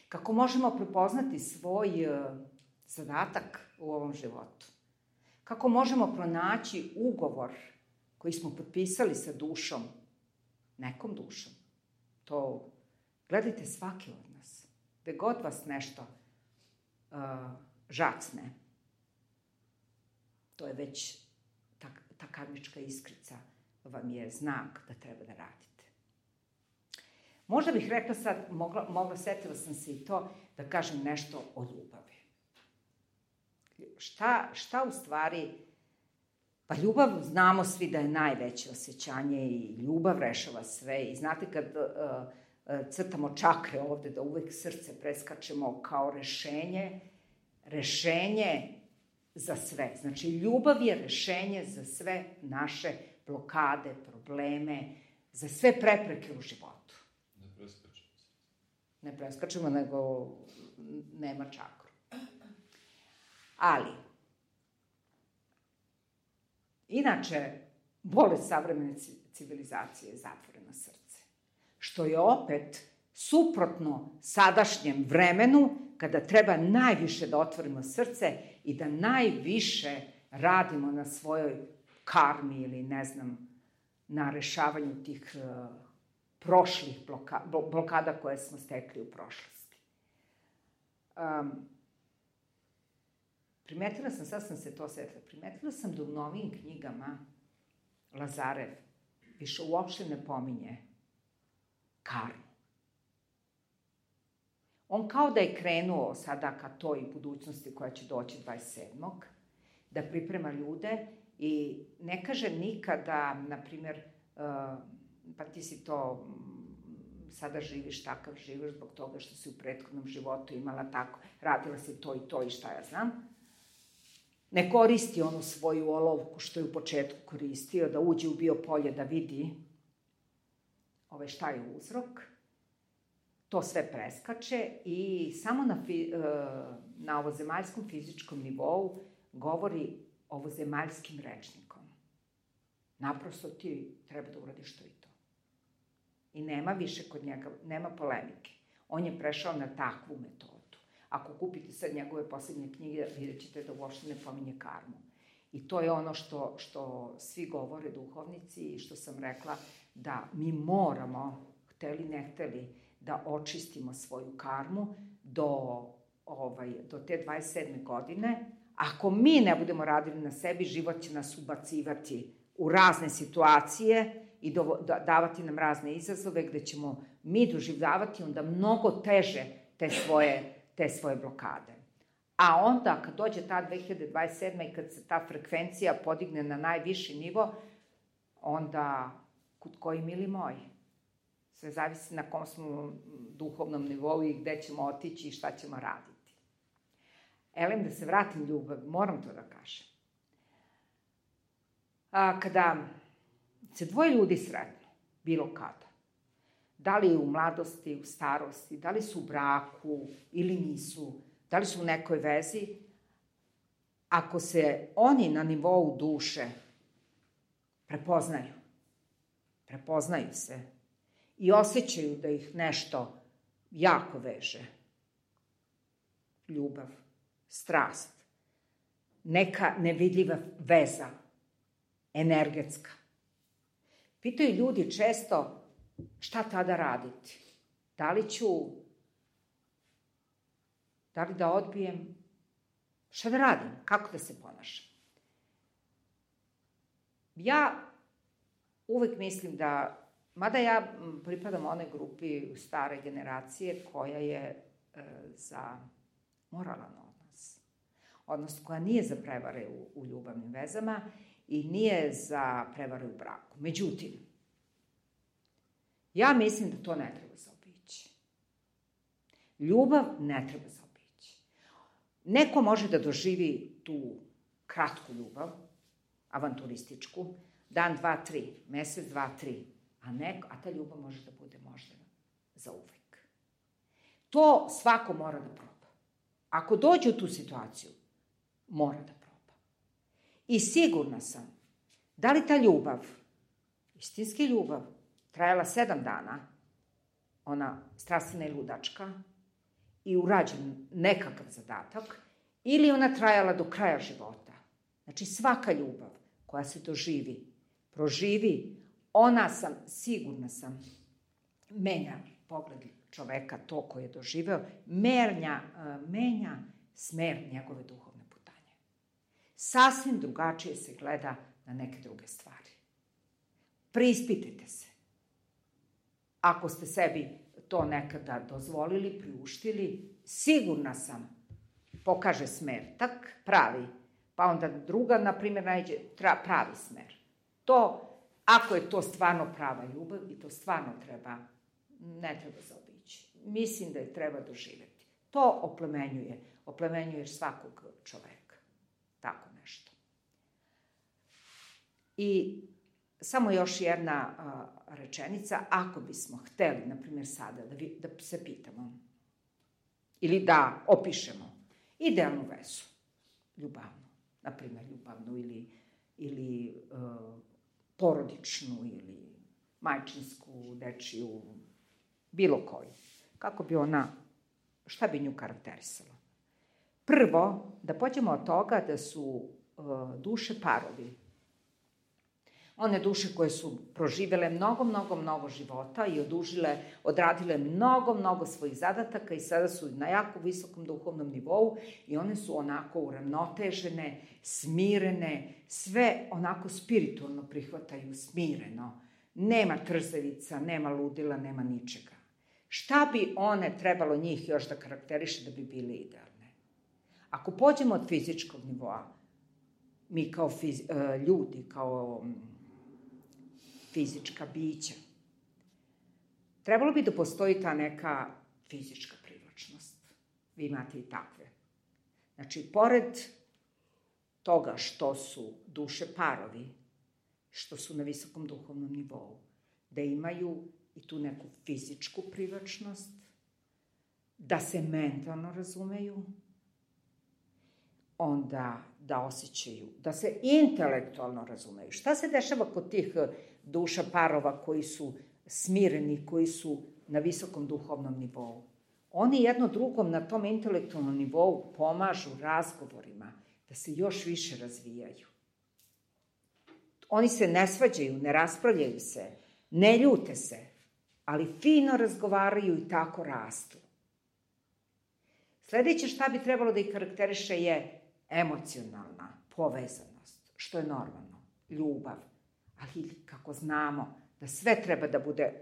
kako možemo prepoznati svoj zadatak u ovom životu, kako možemo pronaći ugovor koji smo potpisali sa dušom, nekom dušom. To gledajte svaki od nas. Gde god vas nešto žacne, to je već ta karmička iskrica vam je znak da treba da radite. Možda bih rekla sad, setila sam se i to, da kažem nešto o ljubavi. Šta u stvari, pa ljubav znamo svi da je najveće osjećanje i ljubav rešava sve. I znate kad crtamo čakre ovde, da uvek srce preskačemo kao rešenje za sve. Znači, ljubav je rešenje za sve naše blokade, probleme, za sve prepreke u životu. Ne preskačemo, nego nema čakru. Ali, inače, bolest savremene civilizacije je zatvoreno srce. Što je opet suprotno sadašnjem vremenu, kada treba najviše da otvorimo srce i da najviše radimo na svojoj karmi ili, ne znam, na rešavanju tih prošlih blokada koje smo stekli u prošlosti. Primetila sam, sad sam se to setila, primetila sam da u novim knjigama Lazarev više uopšte ne pominje karmu. On kao da je krenuo sada ka toj budućnosti koja će doći 27. da priprema ljude I ne kaže nikada, na primjer, pa ti si to, sada živiš takav, živiš zbog toga što si u prethodnom životu imala tako, radila si to i to i šta ja znam. Ne koristi onu svoju olovku što je u početku koristio, da uđe u biopolje da vidi šta je uzrok. To sve preskače i samo na ovozemaljskom fizičkom nivou govori ovozemaljskim rečnikom. Naprosto ti treba da uradiš to i to. I nema više kod njega, nema polemike. On je prešao na takvu metodu. Ako kupite sad njegove poslednje knjige, vidjet ćete da uopšte ne pominje karmu. I to je ono što svi govore duhovnici i što sam rekla, da mi moramo, hteli ne hteli, da očistimo svoju karmu do te 27. godine. Ako mi ne budemo radili na sebi, život će nas ubacivati u razne situacije i davati nam razne izazove gde ćemo mi doživljavati onda mnogo teže te svoje blokade. A onda, kad dođe ta 2027. i kad se ta frekvencija podigne na najviši nivo, onda, kud koji mili moji, sve zavisi na kom smo duhovnom nivou i gde ćemo otići i šta ćemo raditi. Elem, da se vratim ljubavi, moram to da kažem. Kada se dvoje ljudi sretnu, bilo kada, da li u mladosti, u starosti, da li su u braku ili nisu, da li su u nekoj vezi, ako se oni na nivou duše prepoznaju se i osjećaju da ih nešto jako veže, ljubav, strast, neka nevidljiva veza, energetska. Pitaju ljudi često šta tada raditi. Da li da odbijem? Šta da radim? Kako da se ponašam? Ja uvek mislim da, mada ja pripadam onoj grupi stare generacije koja je za moralan odnos koja nije za prevare u ljubavnim vezama i nije za prevare u braku. Međutim, ja mislim da to ne treba zaobići. Ljubav ne treba zaobići. Neko može da doživi tu kratku ljubav, avanturističku, dan, 2, 3, mesec, 2, 3, a ta ljubav može da bude možda za uvek. To svako mora da proba. Ako dođe u tu situaciju, mora da proba. I sigurna sam, da li ta ljubav, istinski ljubav, trajala 7 dana, ona strastvena i ludačka, i urađen nekakav zadatak, ili ona trajala do kraja života. Znači, svaka ljubav koja se proživi, ona sigurna sam, menja pogled čoveka, to koje je doživeo, menja smer njegove duhovne putanje. Sasvim drugačije se gleda na neke druge stvari. Preispitajte se. Ako ste sebi to nekada dozvolili, priuštili, sigurna sam, pokaže smer, tak pravi, pa onda druga, na primjer, nađe pravi smer. To, ako je to stvarno prava ljubav i to stvarno ne treba zaobići. Mislim da je treba doživeti. To oplemenjuje svakog čoveka. Tako nešto. I samo još jedna rečenica, ako bismo hteli, na primjer sada, da se pitamo ili da opišemo idealnu vezu, ljubavnu, na primjer ljubavnu ili porodičnu ili majčinsku, dečiju, bilo koju. Kako bi šta bi nju karakterisalo? Prvo, da pođemo od toga da su duše parovi. One duše koje su proživele mnogo života i odradile mnogo svojih zadataka i sada su na jako visokom duhovnom nivou i one su onako uravnotežene, smirene, sve onako spiritualno prihvataju smireno. Nema trzavica, nema ludila, nema ničega. Šta bi one trebalo njih još da karakteriše da bi bili idealne? Ako pođemo od fizičkog nivoa, mi kao ljudi, kao fizička bića, trebalo bi da postoji ta neka fizička privlačnost. Vi imate i takve. Znači, pored toga što su duše parovi, što su na visokom duhovnom nivou, da imaju i tu neku fizičku privlačnost, da se mentalno razumeju, onda da osjećaju, da se intelektualno razumeju. Šta se dešava kod tih duša parova koji su smireni, koji su na visokom duhovnom nivou? Oni jedno drugom na tom intelektualnom nivou pomažu razgovorima da se još više razvijaju. Oni se ne svađaju, ne raspravljaju se, ne ljute se, ali fino razgovaraju i tako rastu. Sledeće šta bi trebalo da ih karakteriše je emocionalna povezanost, što je normalno, ljubav. Ali kako znamo da sve treba da bude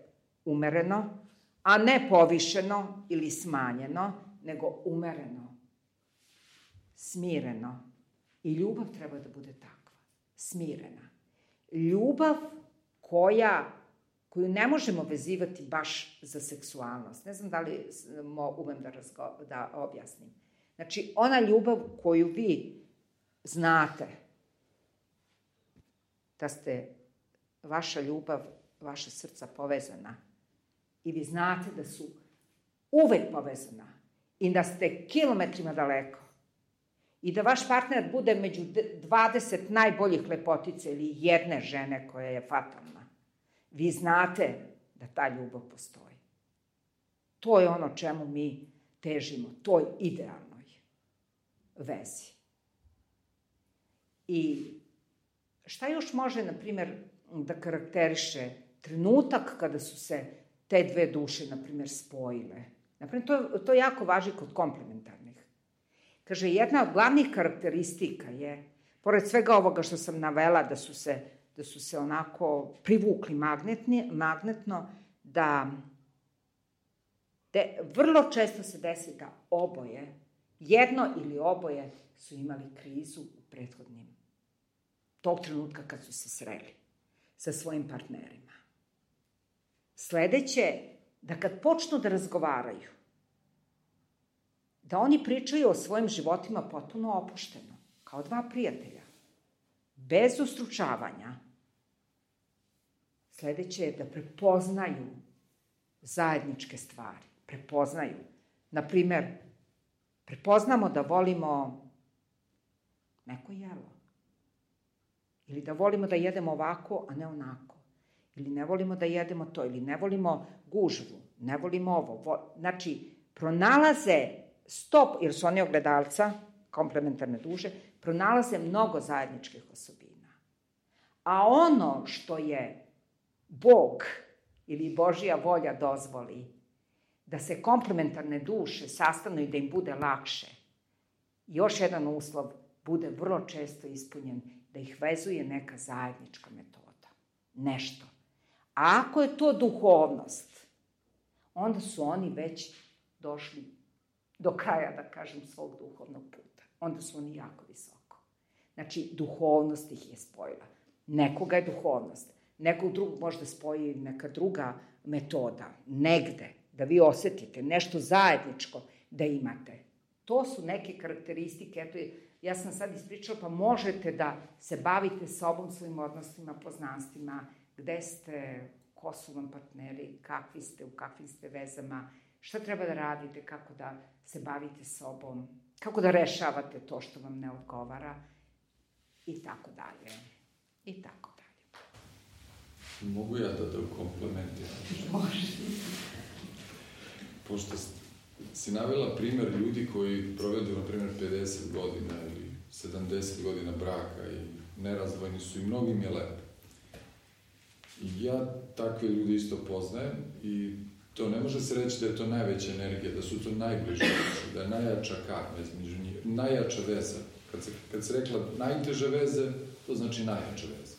umereno, a ne povišeno ili smanjeno, nego umereno, smireno. I ljubav treba da bude takva, smirena. Ljubav koju ne možemo vezivati baš za seksualnost. Ne znam da li umem da objasnim. Znači, ona ljubav koju vi znate, da ste vaša ljubav, vaša srca povezana i vi znate da su uvek povezana i da ste kilometrima daleko i da vaš partner bude među 20 najboljih lepotica ili jedne žene koja je fatalna. Vi znate da ta ljubav postoji. To je ono čemu mi težimo, toj idealnoj vezi. I šta još može, na primjer, da karakteriše trenutak kada su se te dve duše, na primjer, spojile? Na primjer, to jako važi kod komplementarnih. Kaže, jedna od glavnih karakteristika je, pored svega ovoga što sam navela, da su se onako privukli magnetno, da vrlo često se desi da oboje, jedno ili oboje, su imali krizu u prethodnim, tog trenutka kad su se sreli sa svojim partnerima. Sledeće, da kad počnu da razgovaraju, da oni pričaju o svojim životima potpuno opušteno, kao dva prijatelja, bez ustručavanja. Sledeće je da prepoznaju zajedničke stvari, prepoznaju. Naprimer, prepoznamo da volimo neko jelo. Ili da volimo da jedemo ovako, a ne onako. Ili ne volimo da jedemo to, ili ne volimo gužvu, ne volimo ovo. Znači, pronalaze jer su oni ogledalca, komplementarne duše, pronalaze mnogo zajedničkih osobina. A ono što je Bog ili Božja volja dozvoli, da se komplementarne duše sastanu i da im bude lakše, još jedan uslov bude vrlo često ispunjen, da ih vezuje neka zajednička metoda. Nešto. A ako je to duhovnost, onda su oni već došli do kraja, da kažem, svog duhovnog puta. Onda su oni jako visoko. Znači, duhovnost ih je spojila. Nekoga je duhovnost. Nekog drugog možda spoji neka druga metoda. Negde, da vi osetite nešto zajedničko da imate. To su neke karakteristike. Eto, ja sam sad ispričala, pa možete da se bavite sobom, svojim odnosima, poznanstvima, gde ste, ko su vam partneri, kakvi ste, u kakvim ste vezama, šta treba da radite, kako da se bavite sobom, kako da rešavate to što vam ne odgovara i tako dalje. I tako dalje. Mogu ja da komplementiram? Može. Pošto si navela primer ljudi koji provedu, na primer, 50 godina ili 70 godina braka i nerazvojni su i mnogim je lepo. I ja takve ljudi isto poznajem i to ne može se reći da je to najveća energija, da su to najbliže duše, da je najjača veza među njih, najjača veza. Kad se rekla najteže veze, to znači najjača veza.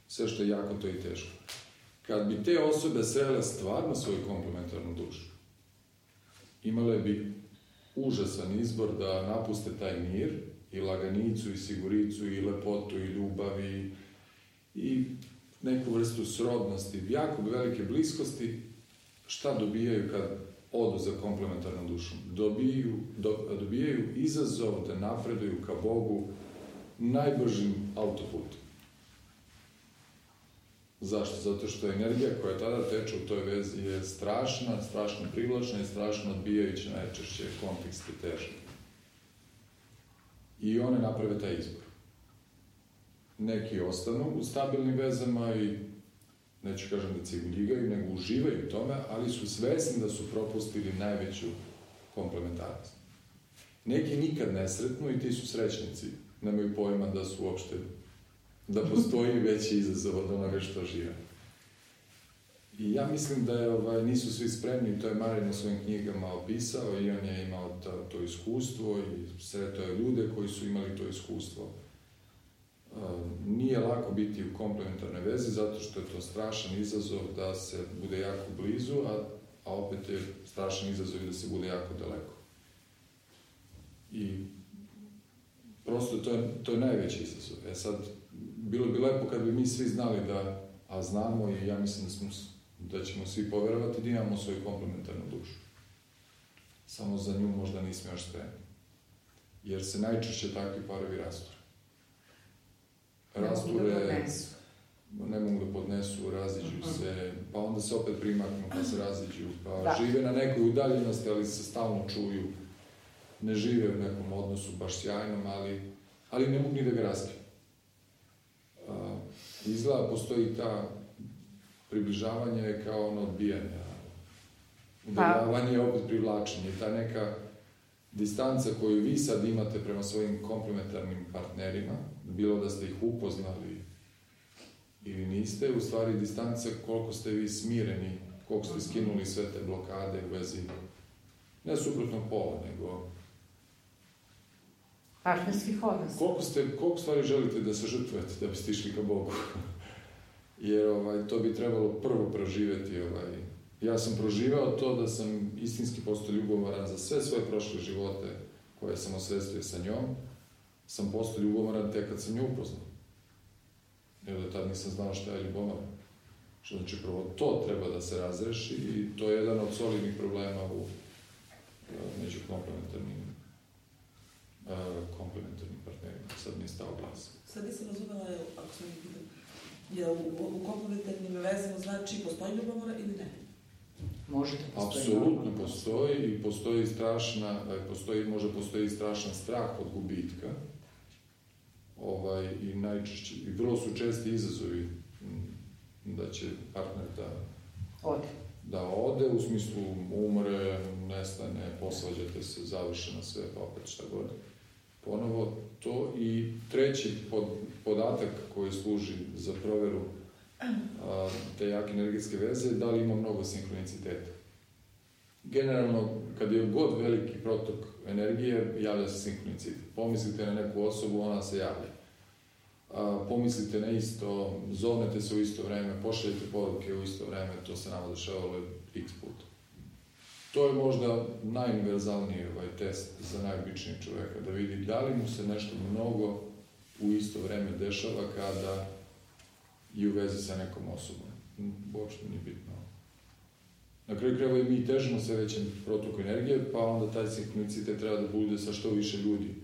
Sve što je jako, to je i teško. Kad bi te osobe srele stvarno svoju komplementarnu dušu, imale bi užasan izbor da napuste taj mir i laganicu, i siguricu, i lepotu, i ljubav, i neku vrstu srodnosti, jako velike bliskosti. Šta dobijaju kad odu za komplementarnom dušom? Dobijaju izazov da napreduju ka Bogu najbržim autoputom. Zašto? Zato što energija koja tada teče u toj vezi je strašna, strašno privlačna i strašno odbijajuća najčešće kontekste težnje. I one naprave taj izbor. Neki ostanu u stabilnim vezama i, neću kažem da ciguljigaju, nego uživaju u tome, ali su svesni da su propustili najveću komplementarnost. Neki nikad ne sretnu i ti su srećnici. Nemaju pojma da su uopšte, da postoji veći izazov od onoga što žive. I ja mislim da nisu svi spremni, to je Marin u svojim knjigama opisao i on je imao to iskustvo i sretao je ljude koji su imali to iskustvo. Nije lako biti u komplementarnoj vezi zato što je to strašan izazov da se bude jako blizu, a opet je strašan izazov da se bude jako daleko. I prosto to je najveći izazov. Sad, bilo bi lepo kad bi mi svi znali a znamo i ja mislim da ćemo svi poverovati da imamo svoju komplementarnu dušu. Samo za nju možda nismo još spremni. Jer se najčešće takvi parovi rasture. Ne mogu da podnesu, raziđu se, pa onda se opet primaknu, pa se raziđu, pa žive na nekoj udaljenosti, ali se stalno čuju. Ne žive u nekom odnosu baš sjajnom, ali ne mogu ni da ga razkriju. Izgleda postoji ta približavanje kao ono odbijanje. Udaljavanje je opet privlačenje. Ta neka distanca koju vi sad imate prema svojim komplementarnim partnerima, bilo da ste ih upoznali ili niste, u stvari distanca koliko ste vi smireni, koliko ste skinuli sve te blokade u vezi ne suprotnog pola, nego partnerskih odnosa. Koliko stvari želite da se žrtvujete da biste išli ka Bogu? Jer to bi trebalo prvo proživjeti. Ja sam proživao to da sam istinski postao ljubomoran za sve svoje prošle živote koje sam osvestio sa njom. Sam postao ljubomoran tek kad sam nju upoznao. Jer do tad nisam znao šta je ljubomoran. Što znači prvo to treba da se razreši i to je jedan od solidnih problema među komplementarnim partnerima. Sad mi je stao glas. Sad nisam razumela, ako sam je u komplementarnim vezama znači postoji ljubomora ili ne? Može da postoji. Apsolutno postoji i postoji strašan strah od gubitka. I najčešće, i vrlo su česti izazovi da će partner da ode, u smislu umre, nestane, posvađate se, završeno sve, pa opet šta god. Ponovo to. I treći podatak koji služi za proveru te jake energetske veze, da li ima mnogo sinhroniciteta. Generalno, kad je god veliki protok energije, javlja se sinhronicitet. Pomislite na neku osobu, ona se javlja. Pomislite na isto, zovnete se u isto vreme, pošaljete poruke u isto vreme, to se nama dešavalo x puta. To je možda najuniverzalniji test za najobičnijeg čoveka, da vidi da li mu se nešto mnogo u isto vreme dešava kada je u vezi sa nekom osobom. Uopšte nije bitno. Na kraju krajeva i mi težimo sve većem protoku energije, pa onda taj sinhronicitet treba da bude sa što više ljudi.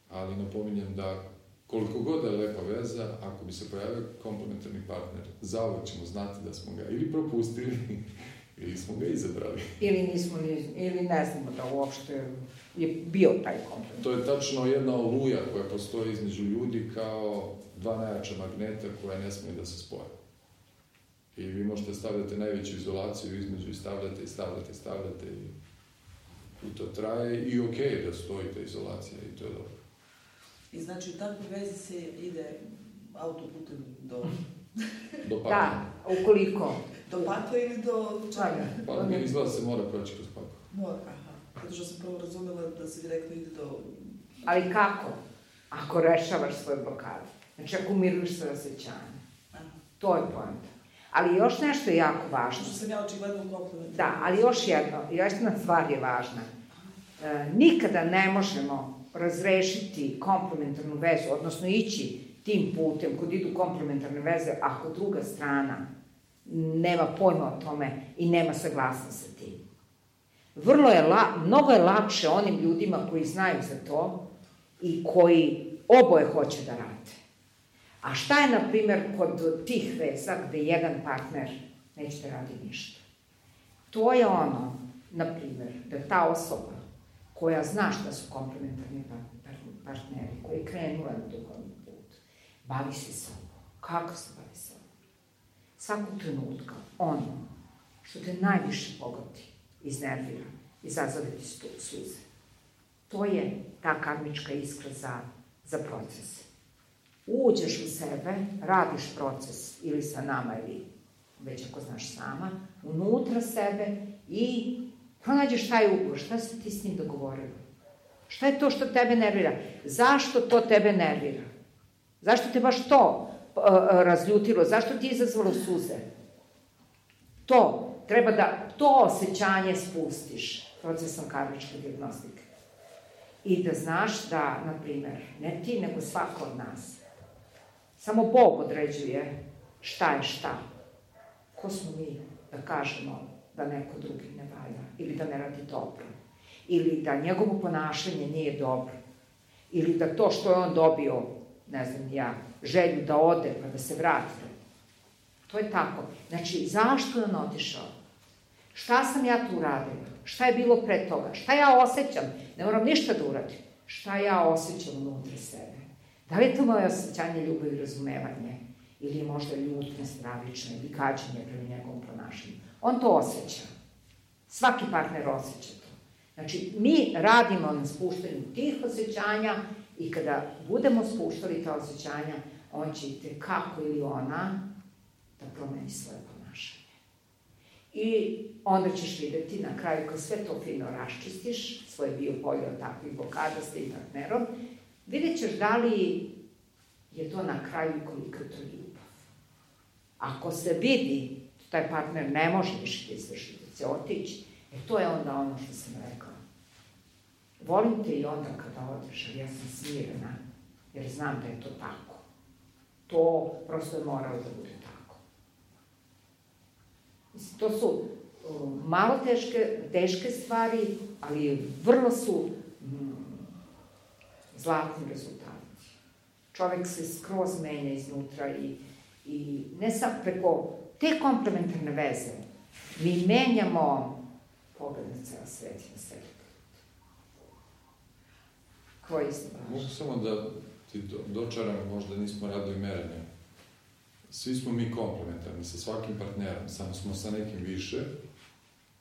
Ali napominjem da koliko god je lepa veza, ako bi se pojavio komplementarni partner, zauvek ćemo znati da smo ga ili propustili, ili smo ga izabrali. Ili ne znamo da uopšte je bio taj komplementarni. To je tačno jedna oluja koja postoji između ljudi kao dva najjača magneta koja ne smije da se spoje. I vi možete stavljati najveću izolaciju između i stavljate i to traje i okej da stoji ta izolacija i to je dobro. I znači u takvoj vezi se ide autoputem do pakla. Da, ukoliko. Do pakla ili do čega? Pa izgleda se mora proći kroz pakla. Mora, zato što sam prvo razumela da se direktno ide do... Ali kako? Ako rešavaš svoje blokade. Znači ako umiruješ svoje osjećanje. To je poenta. Ali još nešto je jako važno. Što sam ja očigledno u komplementu. Da, ali još jedna stvar je važna. Nikada ne možemo razrešiti komplementarnu vezu, odnosno ići tim putem kod idu komplementarne veze, ako druga strana nema pojma o tome i nema saglasnost sa tim. Mnogo je lakše onim ljudima koji znaju za to i koji oboje hoće da rade. A šta je, na primer, kod tih veza gde jedan partner neće da radi ništa? To je ono, na primer, da ta osoba koja zna šta su komplementarni partneri, koja je krenula na duhovni put, bavi se sobom. Kako se bavi sobom? Svakog trenutka, ono što te najviše pogodi, iznervira, izazove ti suze. To je ta karmička iskra za proces. Uđeš u sebe, radiš proces ili sa nama ili već ako znaš sama, unutra sebe i pronađeš taj ugor. Šta si ti s njim dogovorila? Šta je to što tebe nervira? Zašto to tebe nervira? Zašto te baš to razljutilo? Zašto ti je izazvalo suze? To, treba da to osjećanje spustiš procesom karmičke dijagnostike. I da znaš da, na primer, ne ti, nego svako od nas, samo Bog određuje šta je šta. Ko smo mi da kažemo da neko drugi ne valja, ili da ne radi dobro, ili da njegovo ponašanje nije dobro, ili da to što je on dobio, ne znam ja, želju da ode pa da se vrati. To je tako. Znači, zašto je on otišao? Šta sam ja tu uradila? Šta je bilo pre toga? Šta ja osjećam? Ne moram ništa da uradim. Šta ja osjećam unutra sebe? Da li je to moje osjećanje ljubavi i razumevanje? Ili je možda ljutnja stravična ili gađenje prema njegovom ponašanju? On to osjeća. Svaki partner osjeća to. Znači, mi radimo na spuštanju tih osjećanja i kada budemo spuštali ta osjećanja, on će kako ili ona da promeni svoje ponašanje. I onda ćeš videti na kraju, kad sve to fino raščistiš, svoje biopolje od takvih blokada s tim partnerom, vidjet ćeš da li je to na kraju koliko je to ljubav. Ako se vidi da taj partner ne može više da izvrši, da će otići, to je onda ono što sam rekla. Volim te i onda kada odeš, ali ja sam smirena, jer znam da je to tako. To prosto je moralo da bude tako. Mislim, to su malo teške stvari, ali vrlo su zlatni rezultati. Čovek se skroz menja iznutra i ne samo preko te komplementarne veze mi menjamo pogled na ceo svet i na sebe. Koji ste baš? Mogu samo da ti dočaram, možda nismo radili merenje. Svi smo mi komplementarni sa svakim partnerom, samo smo sa nekim više,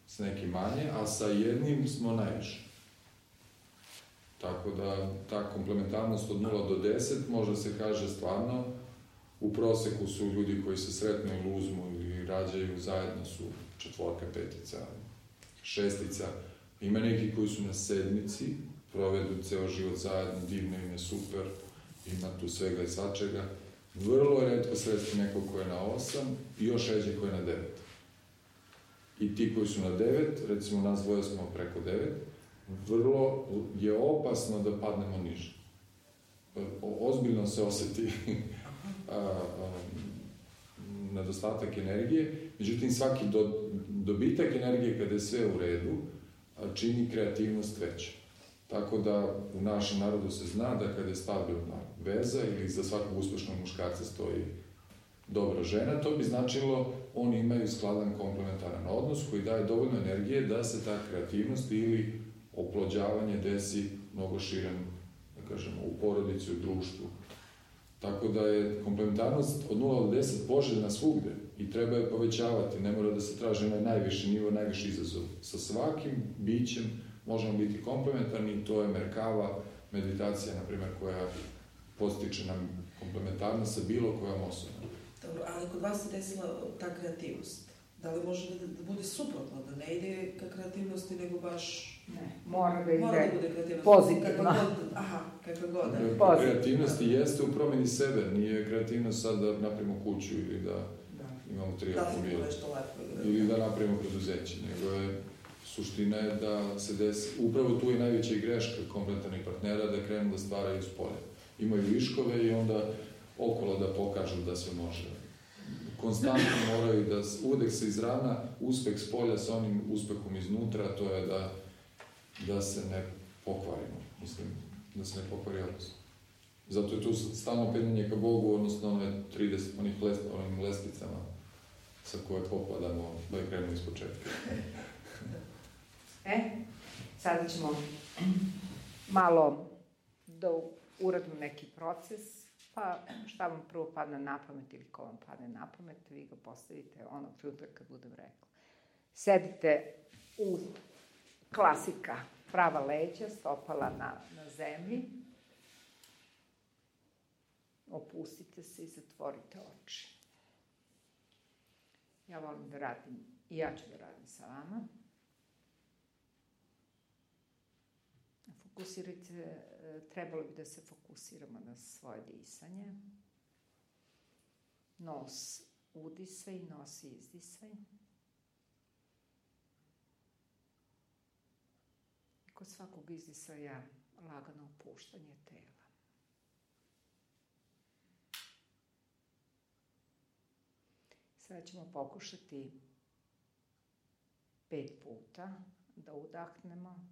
sa nekim manje, a sa jednim smo najviše. Tako da ta komplementarnost od 0 do 10 može se kaže stvarno, u proseku su ljudi koji se sretnu ili uzmu ili rađaju zajedno su 4, 5, 6. Ima neki koji su na 7, provedu ceo život zajedno, divno im je, super, ima tu svega i svačega. Vrlo je retko sresti nekog ko je na 8 i još ređe ko je na 9. I ti koji su na 9, recimo nas dvoje smo preko 9, vrlo je opasno da padnemo niže. Ozbiljno se oseti nedostatak energije, međutim svaki dobitak energije kada je sve u redu čini kreativnost veća. Tako da u našem narodu se zna da kada je stabilna veza ili za svakog uspešnog muškarca stoji dobra žena, to bi značilo oni imaju skladan komplementaran odnos koji daje dovoljno energije da se ta kreativnost ili oplođavanje desi mnogo širen, da kažemo, u porodici, u društvu. Tako da je komplementarnost od 0 do 10 poželjna svugde i treba je povećavati, ne mora da se traži na najviši nivo, najviši izazov. Sa svakim bićem možemo biti komplementarni i to je Merkava meditacija, na primjer, koja postiče nam komplementarnost sa bilo kojom osobom. Dobro, ali kod vas se desila ta kreativnost. Da li može da bude suprotno, da ne ide ka kreativnosti, nego baš... Ne, mora da ide kreativnost pozitivno. Kakva god. Kreativnost jeste u promeni sebe, nije kreativnost sad da napravimo kuću ili da imamo 3 automobila. Ili da napravimo preduzeće, nego je suština je da se desi, upravo tu je najveća i greška komplementarnih partnera, da krenu da stvaraju s polja. Imaju viškove i onda okolo da pokažu da se može. Konstantno moraju da uvek se izravna uspeh s polja sa onim uspehom iznutra, to je da se ne pokvarimo. Mislim, da se ne pokvari odnos. Zato je tu stalno penjanje ka Bogu, odnosno one 30, onim lestvicama sa koje popadamo, da krenemo iz početka. Sada ćemo malo da uradimo neki proces, pa šta vam prvo padne na pamet ili ko vam padne na pamet, vi ga postavite onog trenutka kad budem rekla. Sedite u klasika, prava leđa, stopala na zemlji. Opustite se i zatvorite oči. Ja volim da radim, i ja ću da radim sa vama. Fokusirajte, trebalo bi da se fokusiramo na svoje disanje. Nos udisaj, nos izdisaj. I kod svakog izdisaja lagano opuštanje tela. Sada ćemo pokušati 5 puta da udahnemo,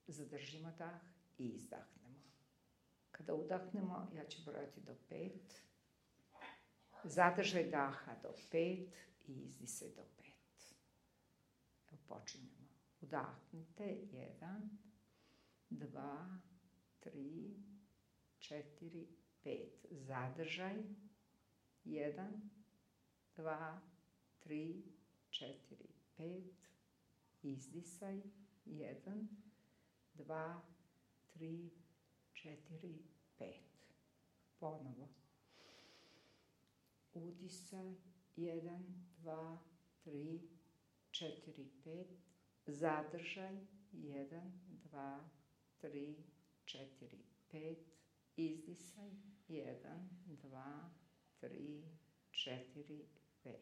zadržimo dah i izdahnemo. Kada udahnemo, ja ću brojati do 5, zadržaj daha do 5 i izdisaj do 5. Evo počinjemo. Udahnite, 1, 2, 3, 4, 5. Zadržaj, 1, 2, 3, 4, 5. Izdisaj, 1, 2, 3, 4, 5. Ponovo. Udisaj, 1, 2, 3, 4, 5. Zadržaj, 1, 2, 3, 4, 5. Izdisaj, 1, 2, 3, 4, 5.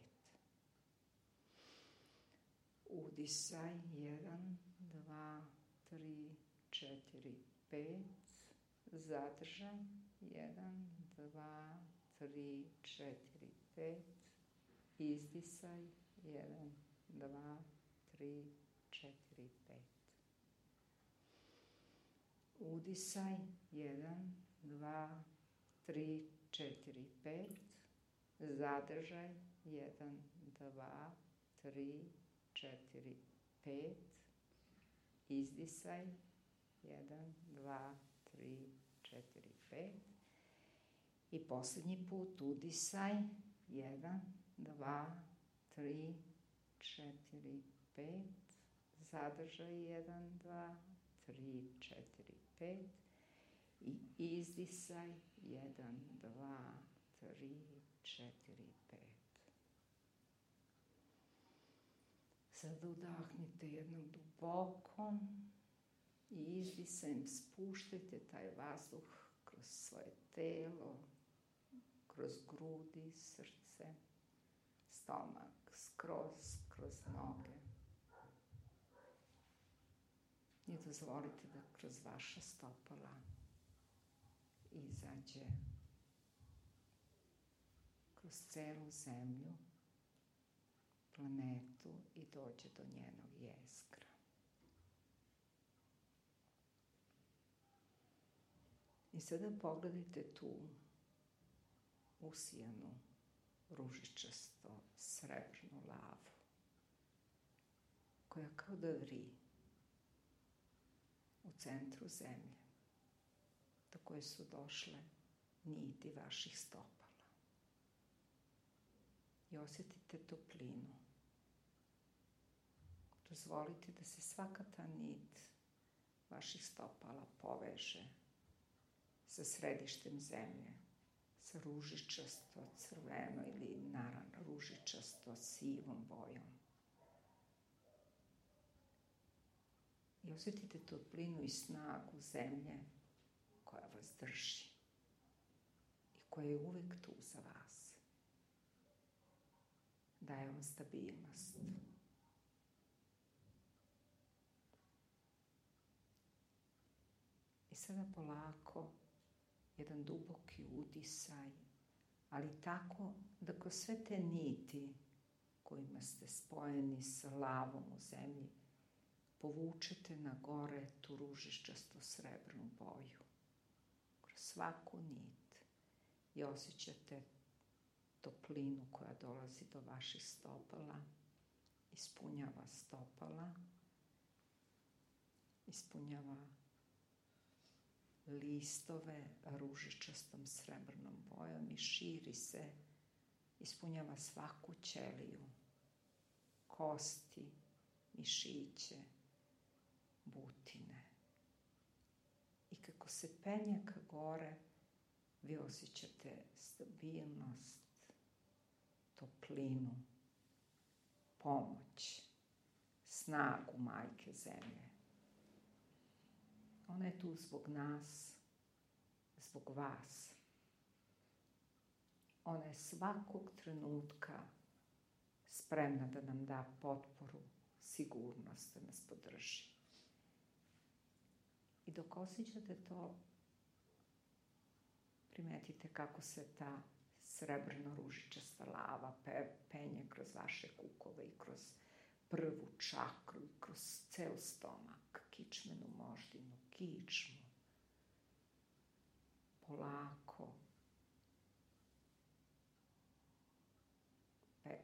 Udisaj, 1, 2, 3, 4, 5. Zadržaj, 1, 2, 3, 4, 5. Izdisaj, 1, 2, 3, 4, 5. Udisaj, 1, 2, 3, 4, 5. Zadržaj, 1, 2, 3, 4, 5. Izdisaj, 1, 2, 3, 4, 5. I poslednji put udisaj, 1, 2, 3, 4, 5. Zadržaj, 1, 2, 3, 4, 5. I izdisaj, 1, 2, 3, 4, 5. Sada udahnite jednom duboko i izdisajem spuštajte taj vazduh kroz svoje telo, kroz grudi, srce, stomak, skroz, kroz noge. I dozvolite da kroz vaša stopala izađe kroz celu zemlju, planetu i dođe do njenog jezgra. I sada pogledajte tu usijanu, ružičasto, srebrnu lavu, koja kao da vri u centru zemlje, do koje su došle niti vaših stopala. I osjetite toplinu. Dozvolite da se svaka ta nit vaših stopala poveže sa središtem zemlje, sa ružičasto, crveno ili naravno ružičasto, sivom bojom. I osjetite toplinu i snagu zemlje koja vas drži i koja je uvek tu za vas. Daje vam stabilnost, sada polako jedan duboki udisaj, ali tako da kroz sve te niti kojima ste spojeni sa lavom u zemlji, povučete na gore tu ružičasto srebrnu boju. Kroz svaku nit i osjećate toplinu koja dolazi do vaših stopala, ispunjava stopala, ispunjava listove ružičastom srebrnom bojom i širi se, ispunjava svaku ćeliju, kosti, mišiće, butine. I kako se penje ka gore, vi osjećate stabilnost, toplinu, pomoć, snagu Majke Zemlje. Ona je tu zbog nas, zbog vas. Ona je svakog trenutka spremna da nam da potporu, sigurnost, da nas podrži. I dok osjećate to, primetite kako se ta srebrno-ružičasta lava penje kroz vaše kukove i kroz prvu čakru i kroz ceo stomak, kičmenu moždinu, kičmu. Polako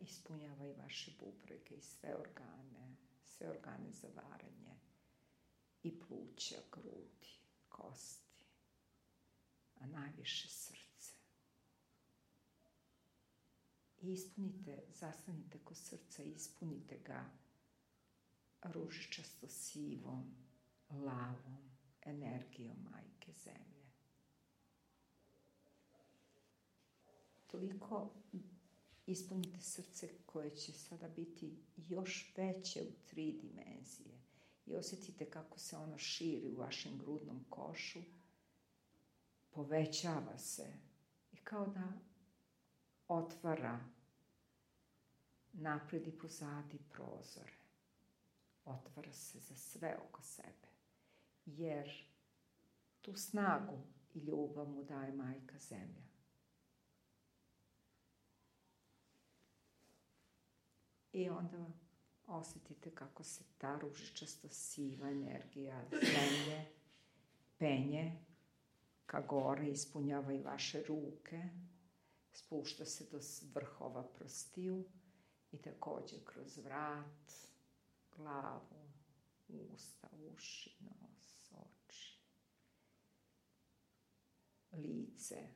ispunjava i vaše bubrege i sve organe za varanje i pluća, grudi, kosti, a najviše srce. I ispunite, zastanite kod srca, ispunite ga ružičasto sivom, lavom energijom Majke Zemlje. Toliko ispunite srce koje će sada biti još veće u 3 dimenzije i osjetite kako se ono širi u vašem grudnom košu, povećava se i kao da otvara napred i pozadi prozore. Otvara se za sve oko sebe, jer tu snagu i ljubav mu daje Majka Zemlja. I onda osjetite kako se ta ružičasto siva energija zemlje penje ka gore, ispunjava i vaše ruke, spušta se do vrhova prstiju i također kroz vrat, glavu, usta, uši, nos, oči, lice,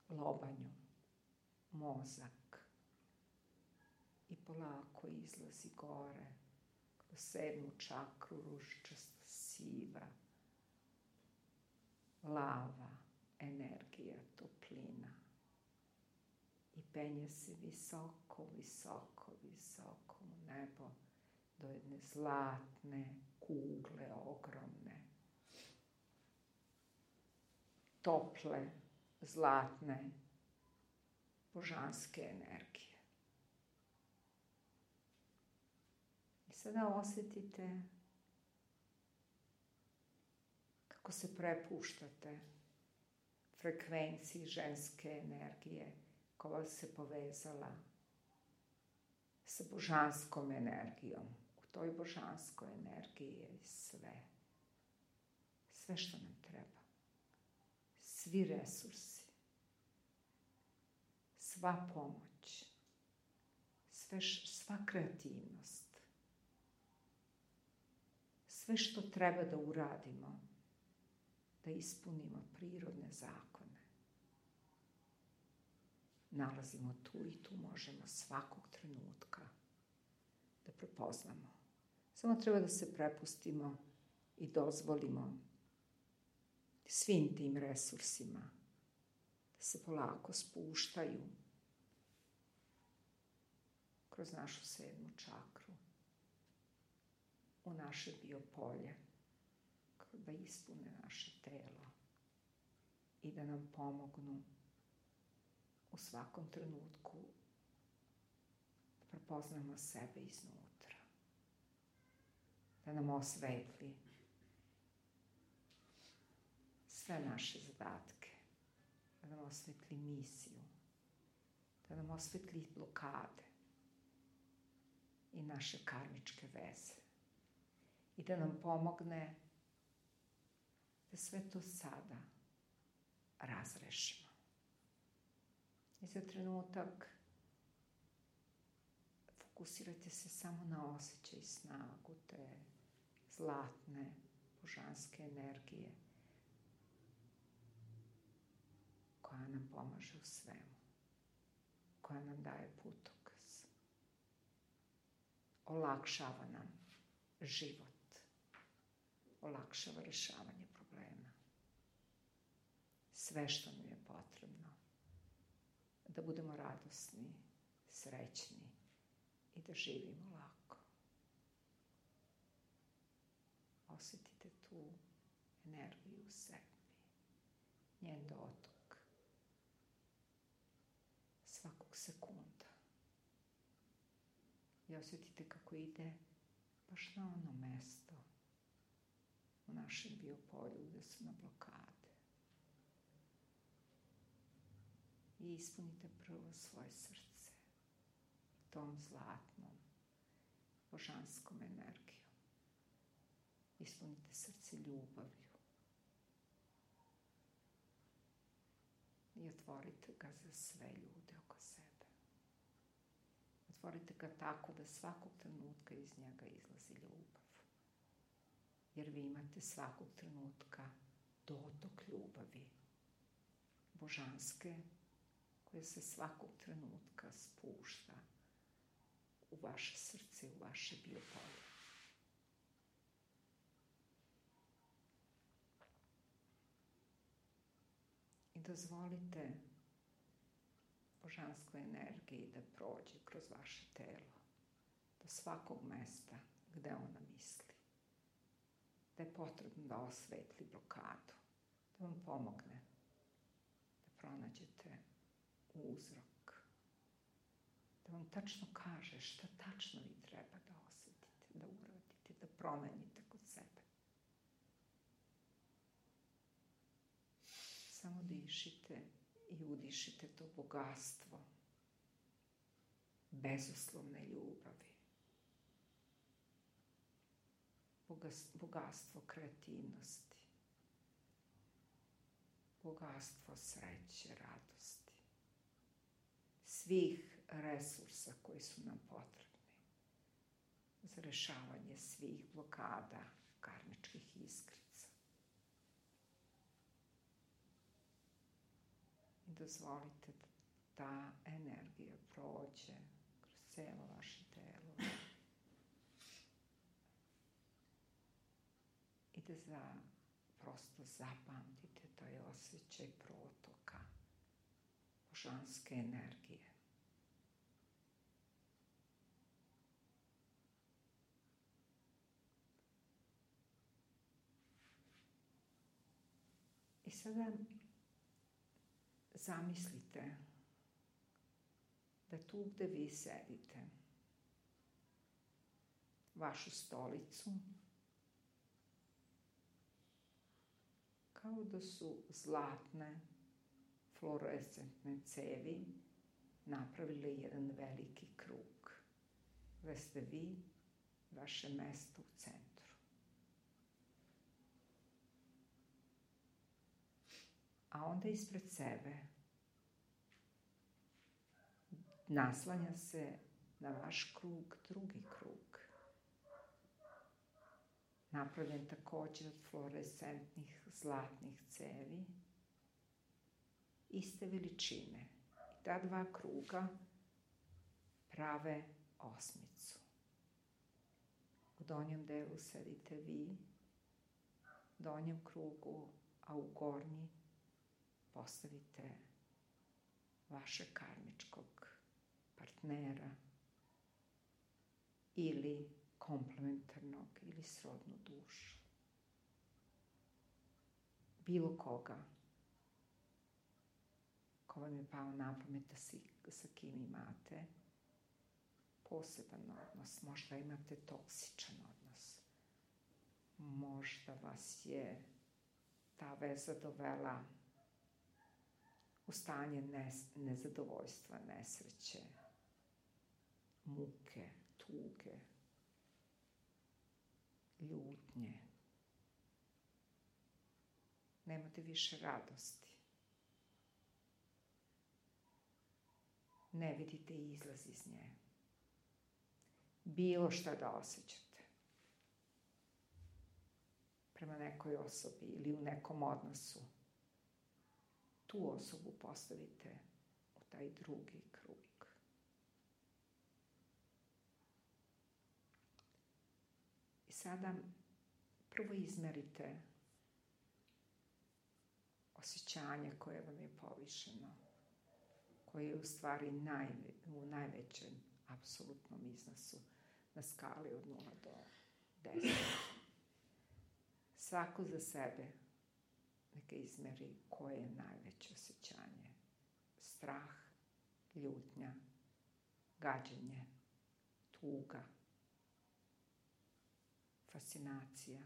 lobanju, mozak i polako izlazi gore kroz 7. čakru, ružičasto siva, lava, energija, toplina i penje se visoko, visoko, visoko u nebo do jedne zlatne kugle, ogromne, tople, zlatne, božanske energije. I sada osjetite kako se prepuštate frekvenciji ženske energije koja se povezala sa božanskom energijom. U toj božanskoj energiji je sve. Sve što nam treba. Svi resursi. Sva pomoć. Sva kreativnost. Sve što treba da uradimo, da ispunimo prirodne zakone. Nalazimo tu i tu možemo svakog trenutka da prepoznamo. Samo treba da se prepustimo i dozvolimo svim tim resursima da se polako spuštaju kroz našu 7. čakru u naše biopolje, da ispune naše telo i da nam pomognu u svakom trenutku da prepoznamo sebe iznutra, da nam osvetli sve naše zadatke, da nam osvetli misiju, da nam osvetli blokade i naše karmičke veze i da nam pomogne da sve to sada razrešimo. I za trenutak fokusirajte se samo na osjećaj i snagu te zlatne, božanske energije koja nam pomaže u svemu, koja nam daje putokaz. Olakšava nam život, olakšava rešavanje problema. Sve što nam je potrebno da budemo radosni, srećni i da živimo lako. Osjetite tu energiju u sebi, njen dotok, svakog sekunda. I osjetite kako ide baš na ono mesto u našem biopolju gde su na blokade. I ispunite prvo svoje srce tom zlatnom, božanskom energijom. Ispunite srce ljubavlju. I otvorite ga za sve ljude oko sebe. Otvorite ga tako da svakog trenutka iz njega izlazi ljubav. Jer vi imate svakog trenutka dotok ljubavi, božanske, koja se svakog trenutka spušta u vaše srce, u vaše biopolje. I dozvolite božanskoj energiji da prođe kroz vaše telo, do svakog mesta gde ona misli. Da je potrebno da osvetli blokadu, da vam pomogne da pronađete uzrok, da vam tačno kaže šta tačno vi treba da osetite, da uradite, da promenite kod sebe. Samo dišite i udišite to bogatstvo bezuslovne ljubavi, bogatstvo kreativnosti, bogatstvo sreće, radosti, svih resursa koji su nam potrebni za rešavanje svih blokada, karmičkih iskrica. I dozvolite da ta energija prođe kroz celo vaše telo i da prosto zapamtite taj osjećaj protoka božanske energije. I sada zamislite da tu gde vi sedite, vašu stolicu, kao da su zlatne fluorescentne cevi napravile jedan veliki krug, gde ste vi, vaše mesto u centru. A onda ispred sebe naslanja se na vaš krug drugi krug, napravljen takođe od fluorescentnih zlatnih cevi, iste veličine. I ta dva kruga prave osmicu. U donjem delu sedite vi, u donjem krugu, a u gornji postavite vašeg karmičkog partnera ili komplementarnog ili srodnu dušu. Bilo koga ko vam je pao na pamet da sa kim imate poseban odnos, možda imate toksičan odnos, možda vas je ta veza dovela u stanje nezadovoljstva, nesreće, muke, tuge, ljutnje. Nemate više radosti. Ne vidite izlaz iz nje. Bilo šta da osjećate prema nekoj osobi ili u nekom odnosu, tu osobu postavite u taj drugi krug. I sada prvo izmerite osjećanje koje vam je povišeno, koje je u stvari u najvećem apsolutnom iznosu na skali od 0 do 10. Svako za sebe neka izmeri koje je najveće osjećanje. Strah, ljutnja, gađenje, tuga, fascinacija,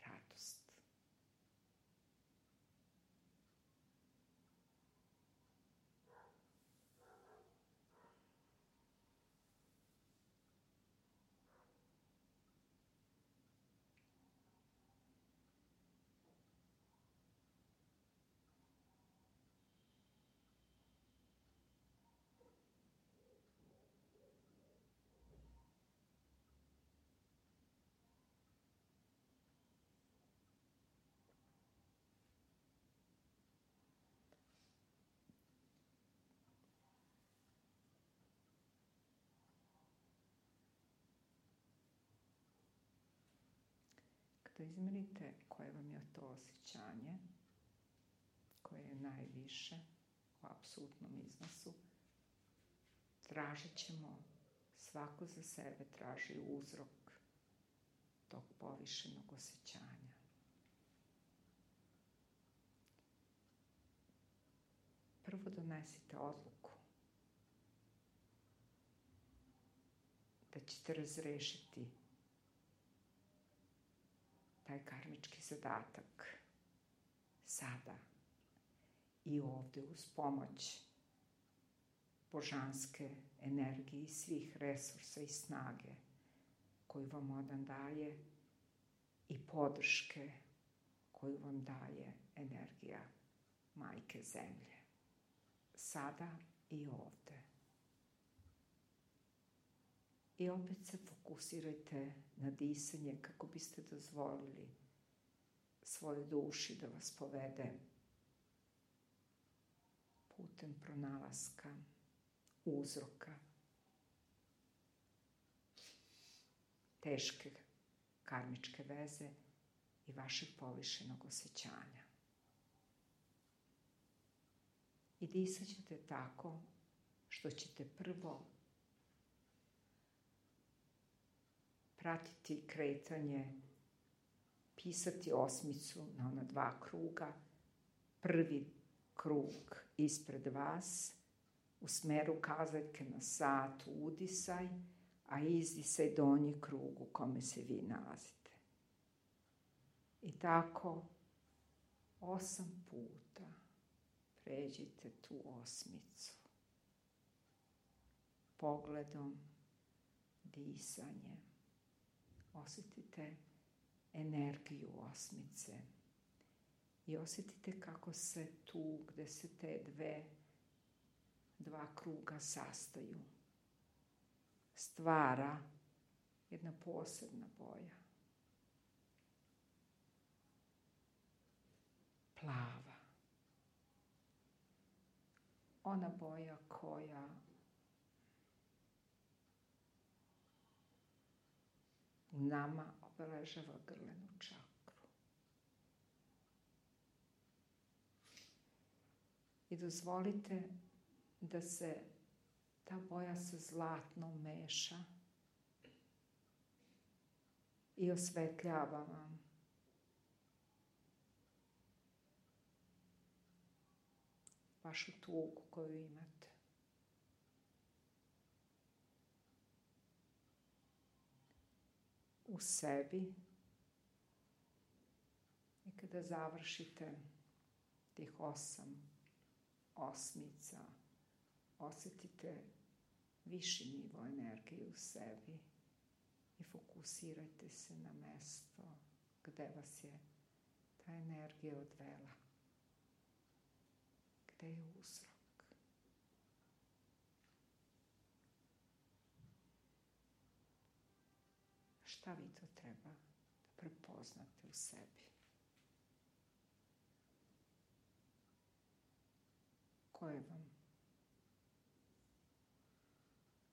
radost. Da izmerite koje vam je to osjećanje, koje je najviše u apsolutnom iznosu, tražit ćemo, svako za sebe traži uzrok tog povišenog osjećanja. Prvo donesite odluku da ćete razrešiti taj karmički zadatak sada i ovde uz pomoć božanske energije i svih resursa i snage koju vam on daje i podrške koju vam daje energija Majke Zemlje. Sada i ovde. I opet se fokusirajte na disanje kako biste dozvolili svojoj duši da vas povede putem pronalaska, uzroka, teške karmičke veze i vašeg povišenog osjećanja. I disat ćete tako što ćete prvo pratiti kretanje, pisati osmicu na ona 2 kruga. Prvi krug ispred vas, u smeru kazaljke na sat udisaj, a izdisaj donji krug u kome se vi nalazite. I tako 8 puta pređite tu osmicu. Pogledom, disanjem. Osjetite energiju osmice i osjetite kako se tu, gde se te 2 kruga sastaju, stvara jedna posebna boja. Plava. Ona boja koja u nama obeležava grlenu čakru. I dozvolite da se ta boja sa zlatnom meša i osvetljava vam vašu tugu koju imate. U sebi i kada završite tih 8 osmica, osetite viši nivo energije u sebi i fokusirajte se na mesto gde vas je ta energija odvela. Gde je uzrok? Šta vi to treba da prepoznate u sebi?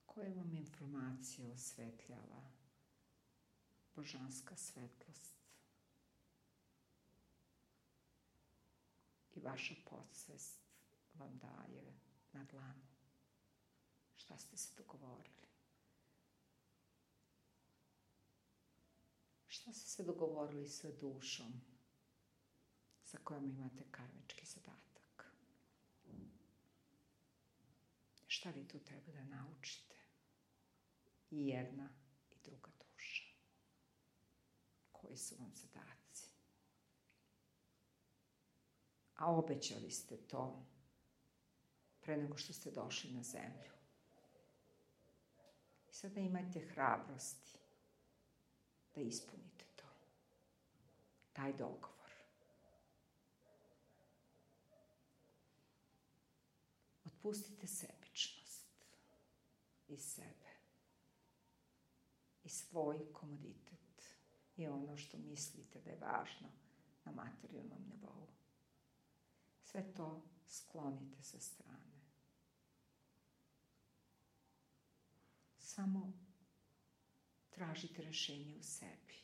Koje vam informacija osvetljava božanska svetlost i vaša podsvest vam daje na dlanu? Šta ste se dogovorili? Šta ste se dogovorili sa dušom sa kojom imate karmički zadatak? Šta vi tu treba da naučite? I jedna i druga duša. Koji su vam zadaci? A obećali ste to pre nego što ste došli na zemlju. I sada imajte hrabrosti da ispunite to. Taj dogovor. Otpustite sebičnost iz sebe i svoj komoditet i ono što mislite da je važno na materijalnom nivou. Sve to sklonite sa strane. Samo tražite rešenje u sebi.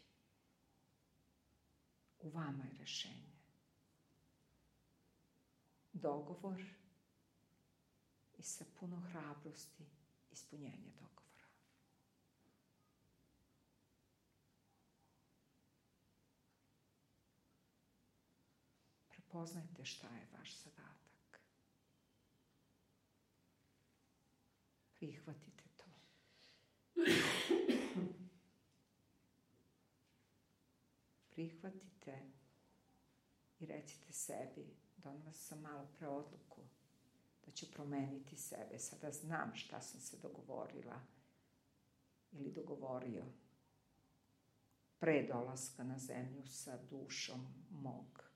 U vama je rešenje. Dogovor i sa puno hrabrosti ispunjenje dogovora. Prepoznajte šta je vaš zadatak. Prihvatite to. Prihvatite i recite sebi, donela sam malo pre odluku da ću promeniti sebe. Sada znam šta sam se dogovorila ili dogovorio pre dolaska na zemlju sa dušom mog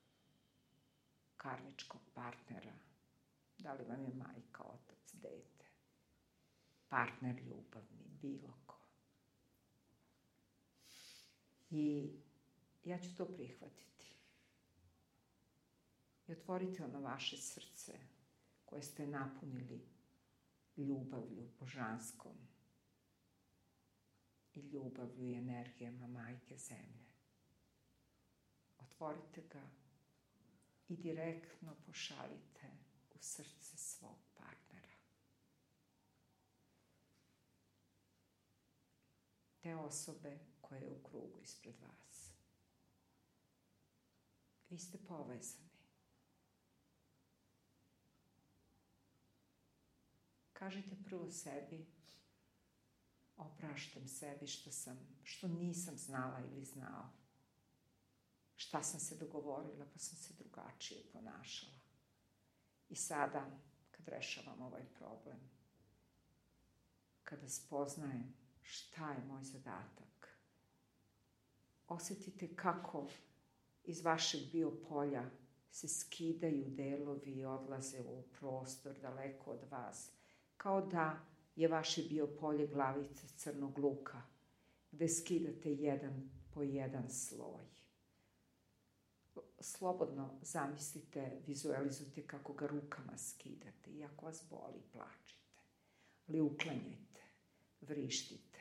karmičkog partnera. Da li vam je majka, otac, dete, partner ljubavni, bilo ko. I ja ću to prihvatiti. I otvorite ono vaše srce koje ste napunili ljubavlju božanskom i ljubavlju i energijama majke zemlje. Otvorite ga i direktno pošaljite u srce svog partnera. Te osobe koje je u krugu ispred vas. Vi ste povezani. Kažite prvo sebi, opraštam sebi što nisam znala ili znao. Šta sam se dogovorila, pa sam se drugačije ponašala. I sada, kad rešavam ovaj problem, kada spoznajem šta je moj zadatak, osetite kako iz vašeg biopolja se skidaju delovi i odlaze u prostor daleko od vas, kao da je vaše biopolje glavica crnog luka, gde skidate jedan po jedan sloj. Slobodno zamislite, vizualizujte kako ga rukama skidate, i ako vas boli, plačite, ali uklanjajte, vrištite,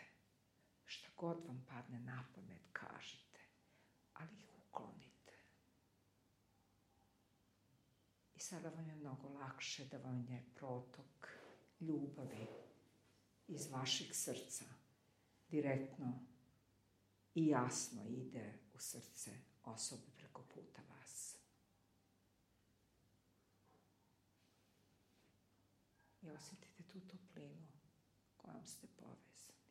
šta god vam padne na pamet, kažite, ali ih uklonite. I sada vam je mnogo lakše da vam je protok ljubavi iz vašeg srca direktno i jasno ide u srce osobe preko puta vas. I osjetite tu toplinu kojom ste povezani.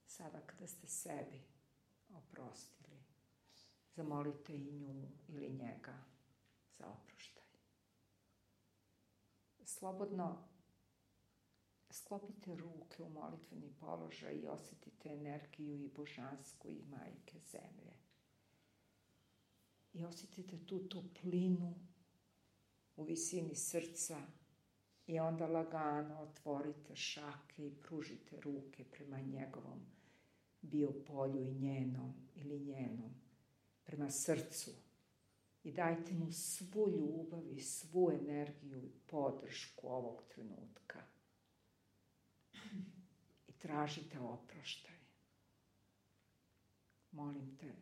Sada kada ste sebi oprostili zamolite i nju ili njega za oproštaj. Slobodno sklopite ruke u molitveni položaj i osjetite energiju i božansku i majke zemlje. I osjetite tu toplinu u visini srca i onda lagano otvorite šake i pružite ruke prema njegovom biopolju i njenom ili njenom, prema srcu. I dajte mu svu ljubav i svu energiju i podršku ovog trenutka. I tražite oproštaj. Molim te,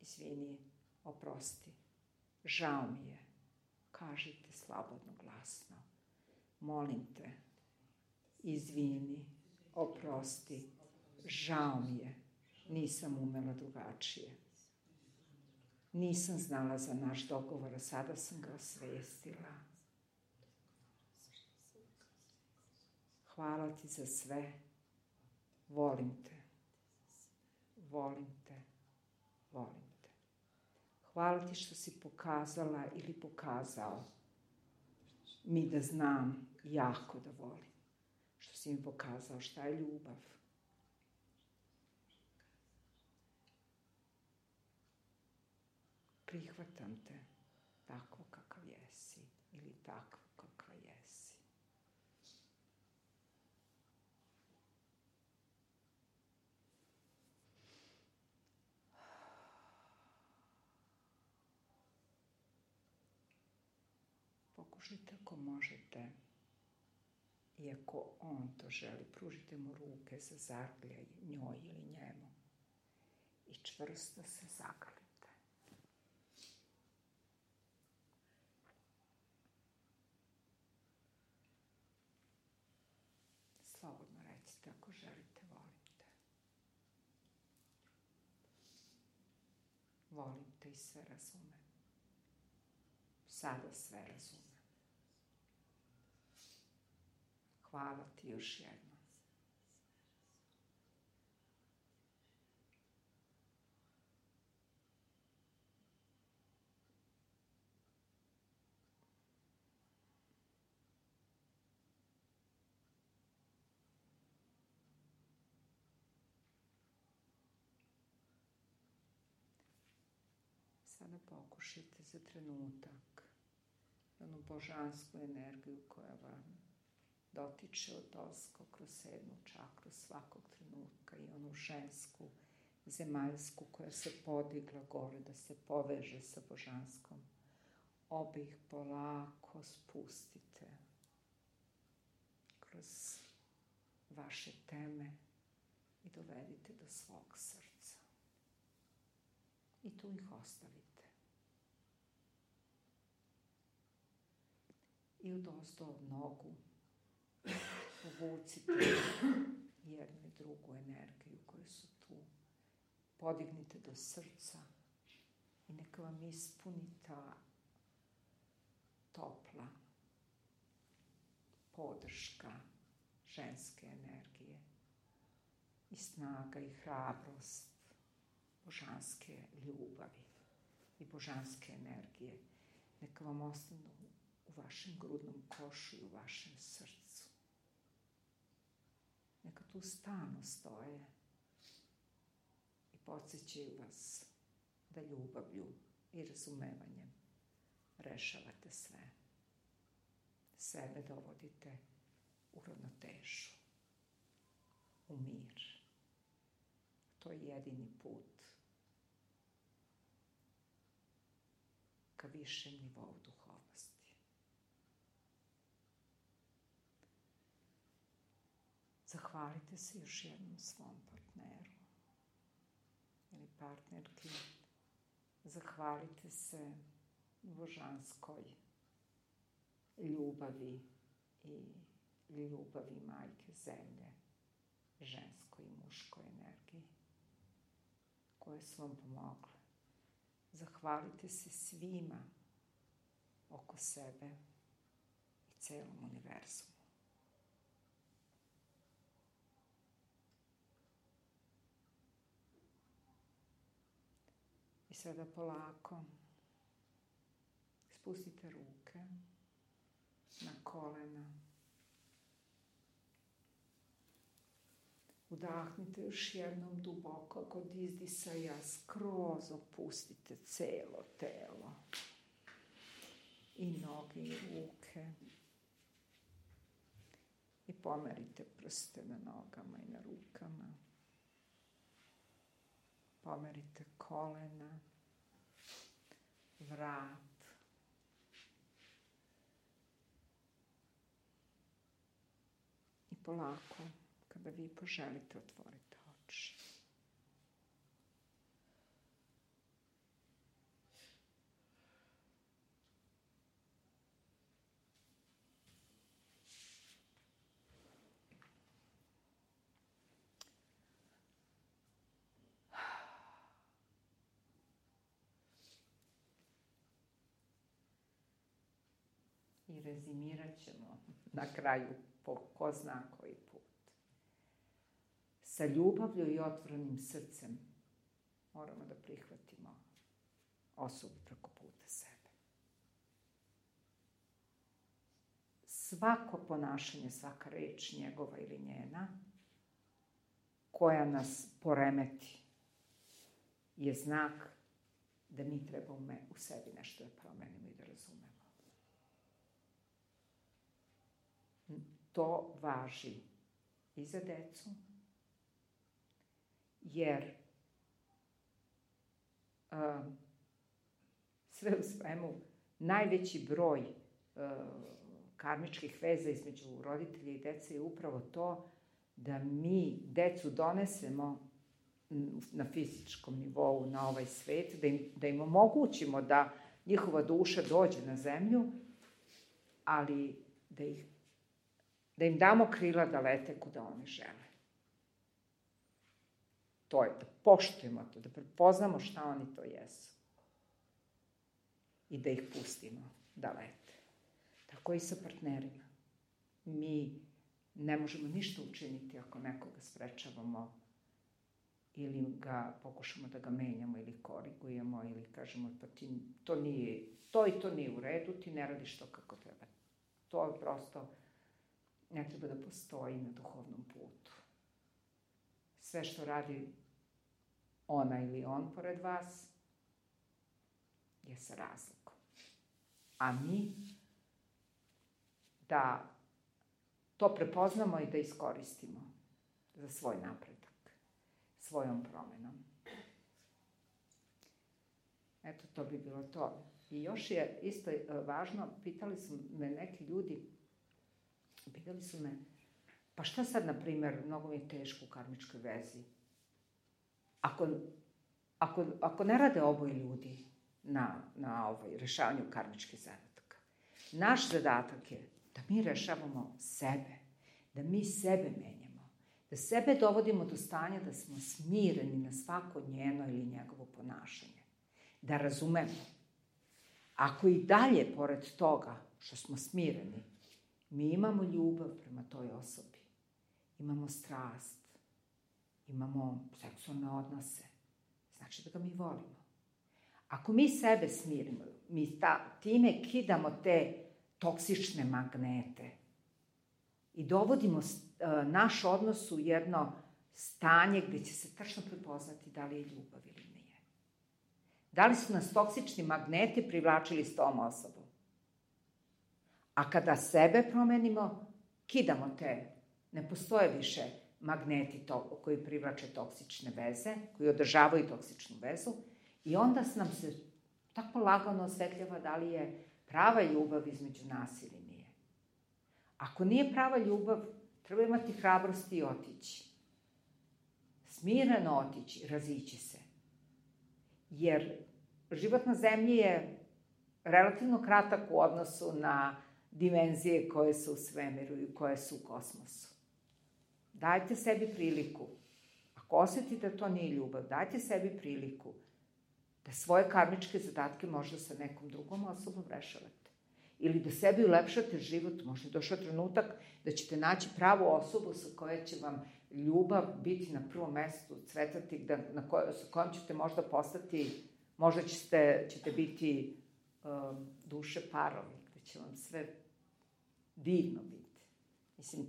izvini, oprosti, žao mi je, kažite slobodno, glasno. Molim te, izvini, oprosti, žao mi je, nisam umela drugačije. Nisam znala za naš dogovor, a sada sam ga osvestila. Hvala ti za sve. Volim te. Volim te. Volim te. Hvala ti što si pokazala ili pokazao mi da znam jako da volim. Što si mi pokazao šta je ljubav. Prihvatam te tako kakav jesi ili takvo kakva jesi. Pokušajte ako možete, iako on to želi, pružite mu ruke za zagrljaj njoj ili njemu i čvrsto se zagrlite. Slobodno recite ako želite, volim te. Volim te i sve razumem. Sada sve razumem. Hvala ti još jednom. Sada pokušajte za trenutak onu božansku energiju koja vam dotiče odozgo kroz 7. čakru svakog trenutka i onu žensku, zemaljsku koja se podigla gore da se poveže sa božanskom. Obe ih polako spustite kroz vaše teme i dovedite do svog srca. I tu ih ostavite. I odozdo od nogu povucite jednu i drugu energiju koje su tu. Podignite do srca i neka vam ispuni ta topla podrška ženske energije i snaga i hrabrost božanske ljubavi i božanske energije. Neka vam ostanu u vašem grudnom košu i u vašem srcu. Neka tu stalno stoje i podsjećaju vas da ljubavlju i razumevanjem rešavate sve. Sebe dovodite u ravnotežu, u mir. To je jedini put ka višem nivou duhovnosti. Zahvalite se još jednom svom partneru ili partnerki. Zahvalite se božanskoj ljubavi i ljubavi majke zemlje, ženskoj i muškoj energiji koje su vam pomogle. Zahvalite se svima oko sebe i celom univerzumu. I sada polako spustite ruke na kolena. Udahnite još jednom duboko kod izdisaja, skroz opustite celo telo. I noge i ruke. I pomerite prste na nogama i na rukama. Pomerite kolena, vrat. I polako, kada vi poželite, otvorite oči. I rezimirat ćemo na kraju po ko zna koji put. Sa ljubavlju i otvorenim srcem moramo da prihvatimo osobu preko puta sebe. Svako ponašanje, svaka reč njegova ili njena, koja nas poremeti, je znak da mi trebamo u sebi nešto da promenimo i da razumemo. To važi i za decu, jer sve u svemu najveći broj karmičkih veza između roditelja i dece je upravo to da mi decu donesemo na fizičkom nivou na ovaj svet, da im omogućimo da njihova duša dođe na zemlju, ali da im damo krila da lete kuda oni žele. To je da poštujemo to, da prepoznamo šta oni to jesu. I da ih pustimo da lete. Tako i sa partnerima. Mi ne možemo ništa učiniti ako nekoga sprečavamo ili ga pokušamo da ga menjamo ili korigujemo ili kažemo pa ti to i to nije u redu, ti ne radiš to kako treba. To je prosto ne treba da postoji na duhovnom putu. Sve što radi ona ili on pored vas je sa razlogom. A mi da to prepoznamo i da iskoristimo za svoj napredak, svojom promenom. Eto, to bi bilo to. I još je isto važno, pitali su me neki ljudi, pa šta sad, na primjer, mnogo mi je teško u karmičkoj vezi? Ako ne rade oboje ljudi na rešavanju karmičkih zadataka, naš zadatak je da mi rešavamo sebe, da mi sebe menjamo, da sebe dovodimo do stanja da smo smireni na svako njeno ili njegovo ponašanje, da razumemo. Ako i dalje, pored toga što smo smireni, mi imamo ljubav prema toj osobi, imamo strast, imamo seksualne odnose, znači da ga mi volimo. Ako mi sebe smirimo, mi time kidamo te toksične magnete i dovodimo naš odnos u jedno stanje gde će se tačno prepoznati da li je ljubav ili nije. Da li su nas toksični magneti privlačili s tom osobom? A kada sebe promenimo, kidamo te, ne postoje više magneti koji privlače toksične veze, koji održavaju toksičnu vezu, i onda nam se tako lagano osvetljava da li je prava ljubav između nas ili nije. Ako nije prava ljubav, treba imati hrabrosti i otići. Smireno otići, razići se. Jer život na zemlji je relativno kratak u odnosu na dimenzije koje su u svemiru i koje su u kosmosu. Dajte sebi priliku. Ako osjetite da to nije ljubav, dajte sebi priliku da svoje karmičke zadatke možda sa nekom drugom osobom rešavate. Ili da sebi ulepšate život. Možda je došao trenutak da ćete naći pravu osobu sa kojom će vam ljubav biti na prvom mestu, cvetati, sa kojom ćete možda postati Možda ćete biti duše parovi, gde će vam sve divno biti. Mislim,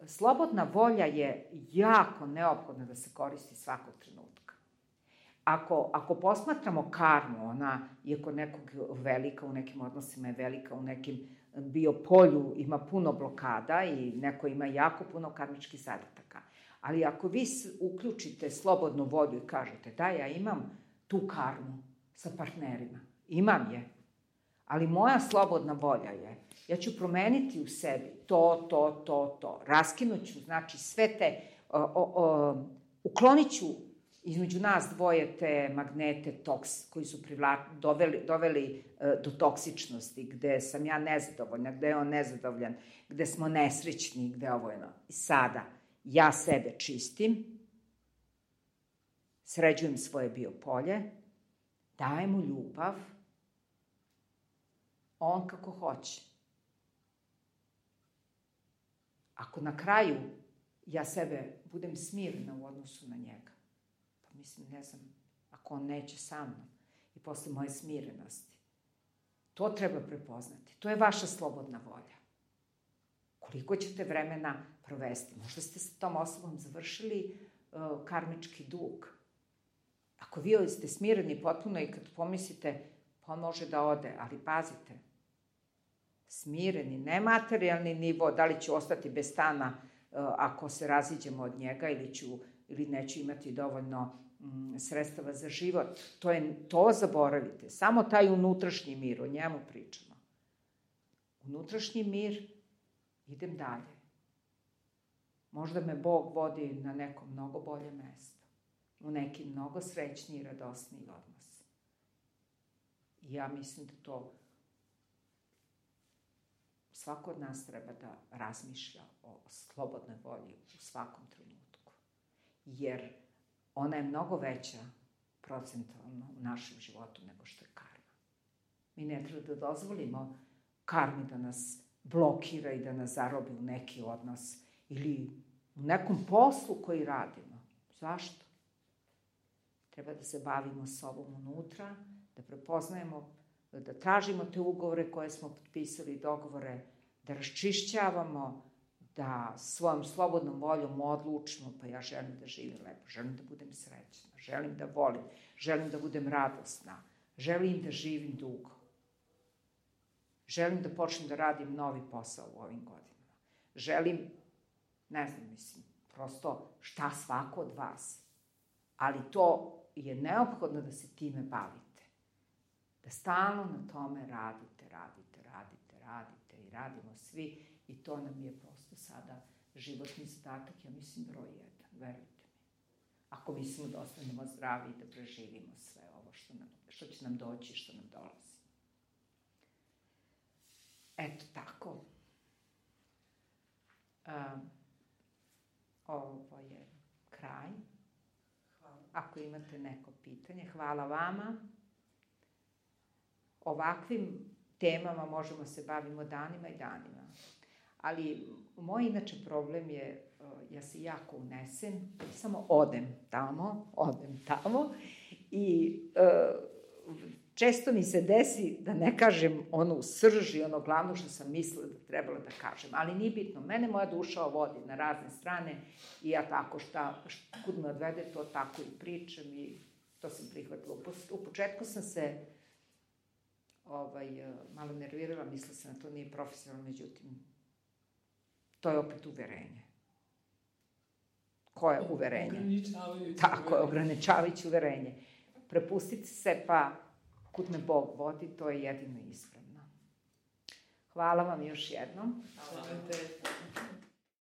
slobodna volja je jako neophodna da se koristi svakog trenutka. Ako posmatramo karmu, ona je kod nekog velika, u nekim odnosima je velika, u nekim biopolju ima puno blokada i neko ima jako puno karmičkih zadataka. Ali ako vi uključite slobodnu volju i kažete da, ja imam tu karmu sa partnerima, imam je, ali moja slobodna volja je, ja ću promeniti u sebi to, raskinuću, znači sve te, uklonit ću između nas dvoje te magnete koji su doveli do toksičnosti, gde sam ja nezadovoljna, gde je on nezadovoljan, gde smo nesrećni, gde ovo je. I sada ja sebe čistim, sređujem svoje biopolje, dajem mu ljubav, on kako hoće. Ako na kraju ja sebe budem smirna u odnosu na njega, pa mislim, ne znam, ako on neće sa mnom i posle moje smirenosti, to treba prepoznati. To je vaša slobodna volja. Koliko ćete vremena provesti? Možda ste sa tom osobom završili karmički dug. Ako vi ste smireni potpuno i kad pomislite, pa on može da ode, ali pazite, smireni, nematerijalni nivo, da li ću ostati bez stana ako se raziđemo od njega ili neću imati dovoljno sredstava za život. To zaboravite. Samo taj unutrašnji mir, o njemu pričamo. Unutrašnji mir, idem dalje. Možda me Bog vodi na neko mnogo bolje mesto, u neki mnogo srećniji i radosniji odnos. I ja mislim da to svako od nas treba da razmišlja o slobodnoj volji u svakom trenutku. Jer ona je mnogo veća procentualno u našem životu nego što je karma. Mi ne treba da dozvolimo karmi da nas blokira i da nas zarobi u neki odnos ili u nekom poslu koji radimo. Zašto? Treba da se bavimo sobom unutra, da prepoznajemo, da tražimo te ugovore koje smo potpisali, dogovore, da raščišćavamo, da svojom slobodnom voljom odlučimo, pa ja želim da živim lepo, želim da budem srećna, želim da volim, želim da budem radosna, želim da živim dugo. Želim da počnem da radim novi posao u ovim godinama. Želim, ne znam, mislim, prosto šta svako od vas. Ali to je neophodno da se time bavite. Da stalno na tome radite i radimo svi. I to nam je prosto sada životni zadatak, ja mislim, broj 1, verujte mi. Ako mislimo da ostanemo zdravi i da preživimo sve ovo što će nam doći i što nam dolazi. Eto tako. Ovo je kraj. Hvala. Ako imate neko pitanje, hvala vama. Ovakvim temama možemo se bavimo danima i danima. Ali moj inače problem je, ja se jako unesem, samo odem tamo i često mi se desi da ne kažem ono u srži, ono glavno što sam mislila da trebala da kažem, ali nije bitno. Mene moja duša vodi na razne strane i ja tako kud me odvede, to tako i pričam i to sam prihvatila. U početku sam se malo nervirala, mislila sam da to nije profesionalno, međutim, to je opet uverenje. Koje uverenje? Ograničavajuće. Tako je, ograničavajuće uverenje. Prepustite se, pa kud me Bog vodi, to je jedino ispravno. Hvala vam još jednom. Hvala.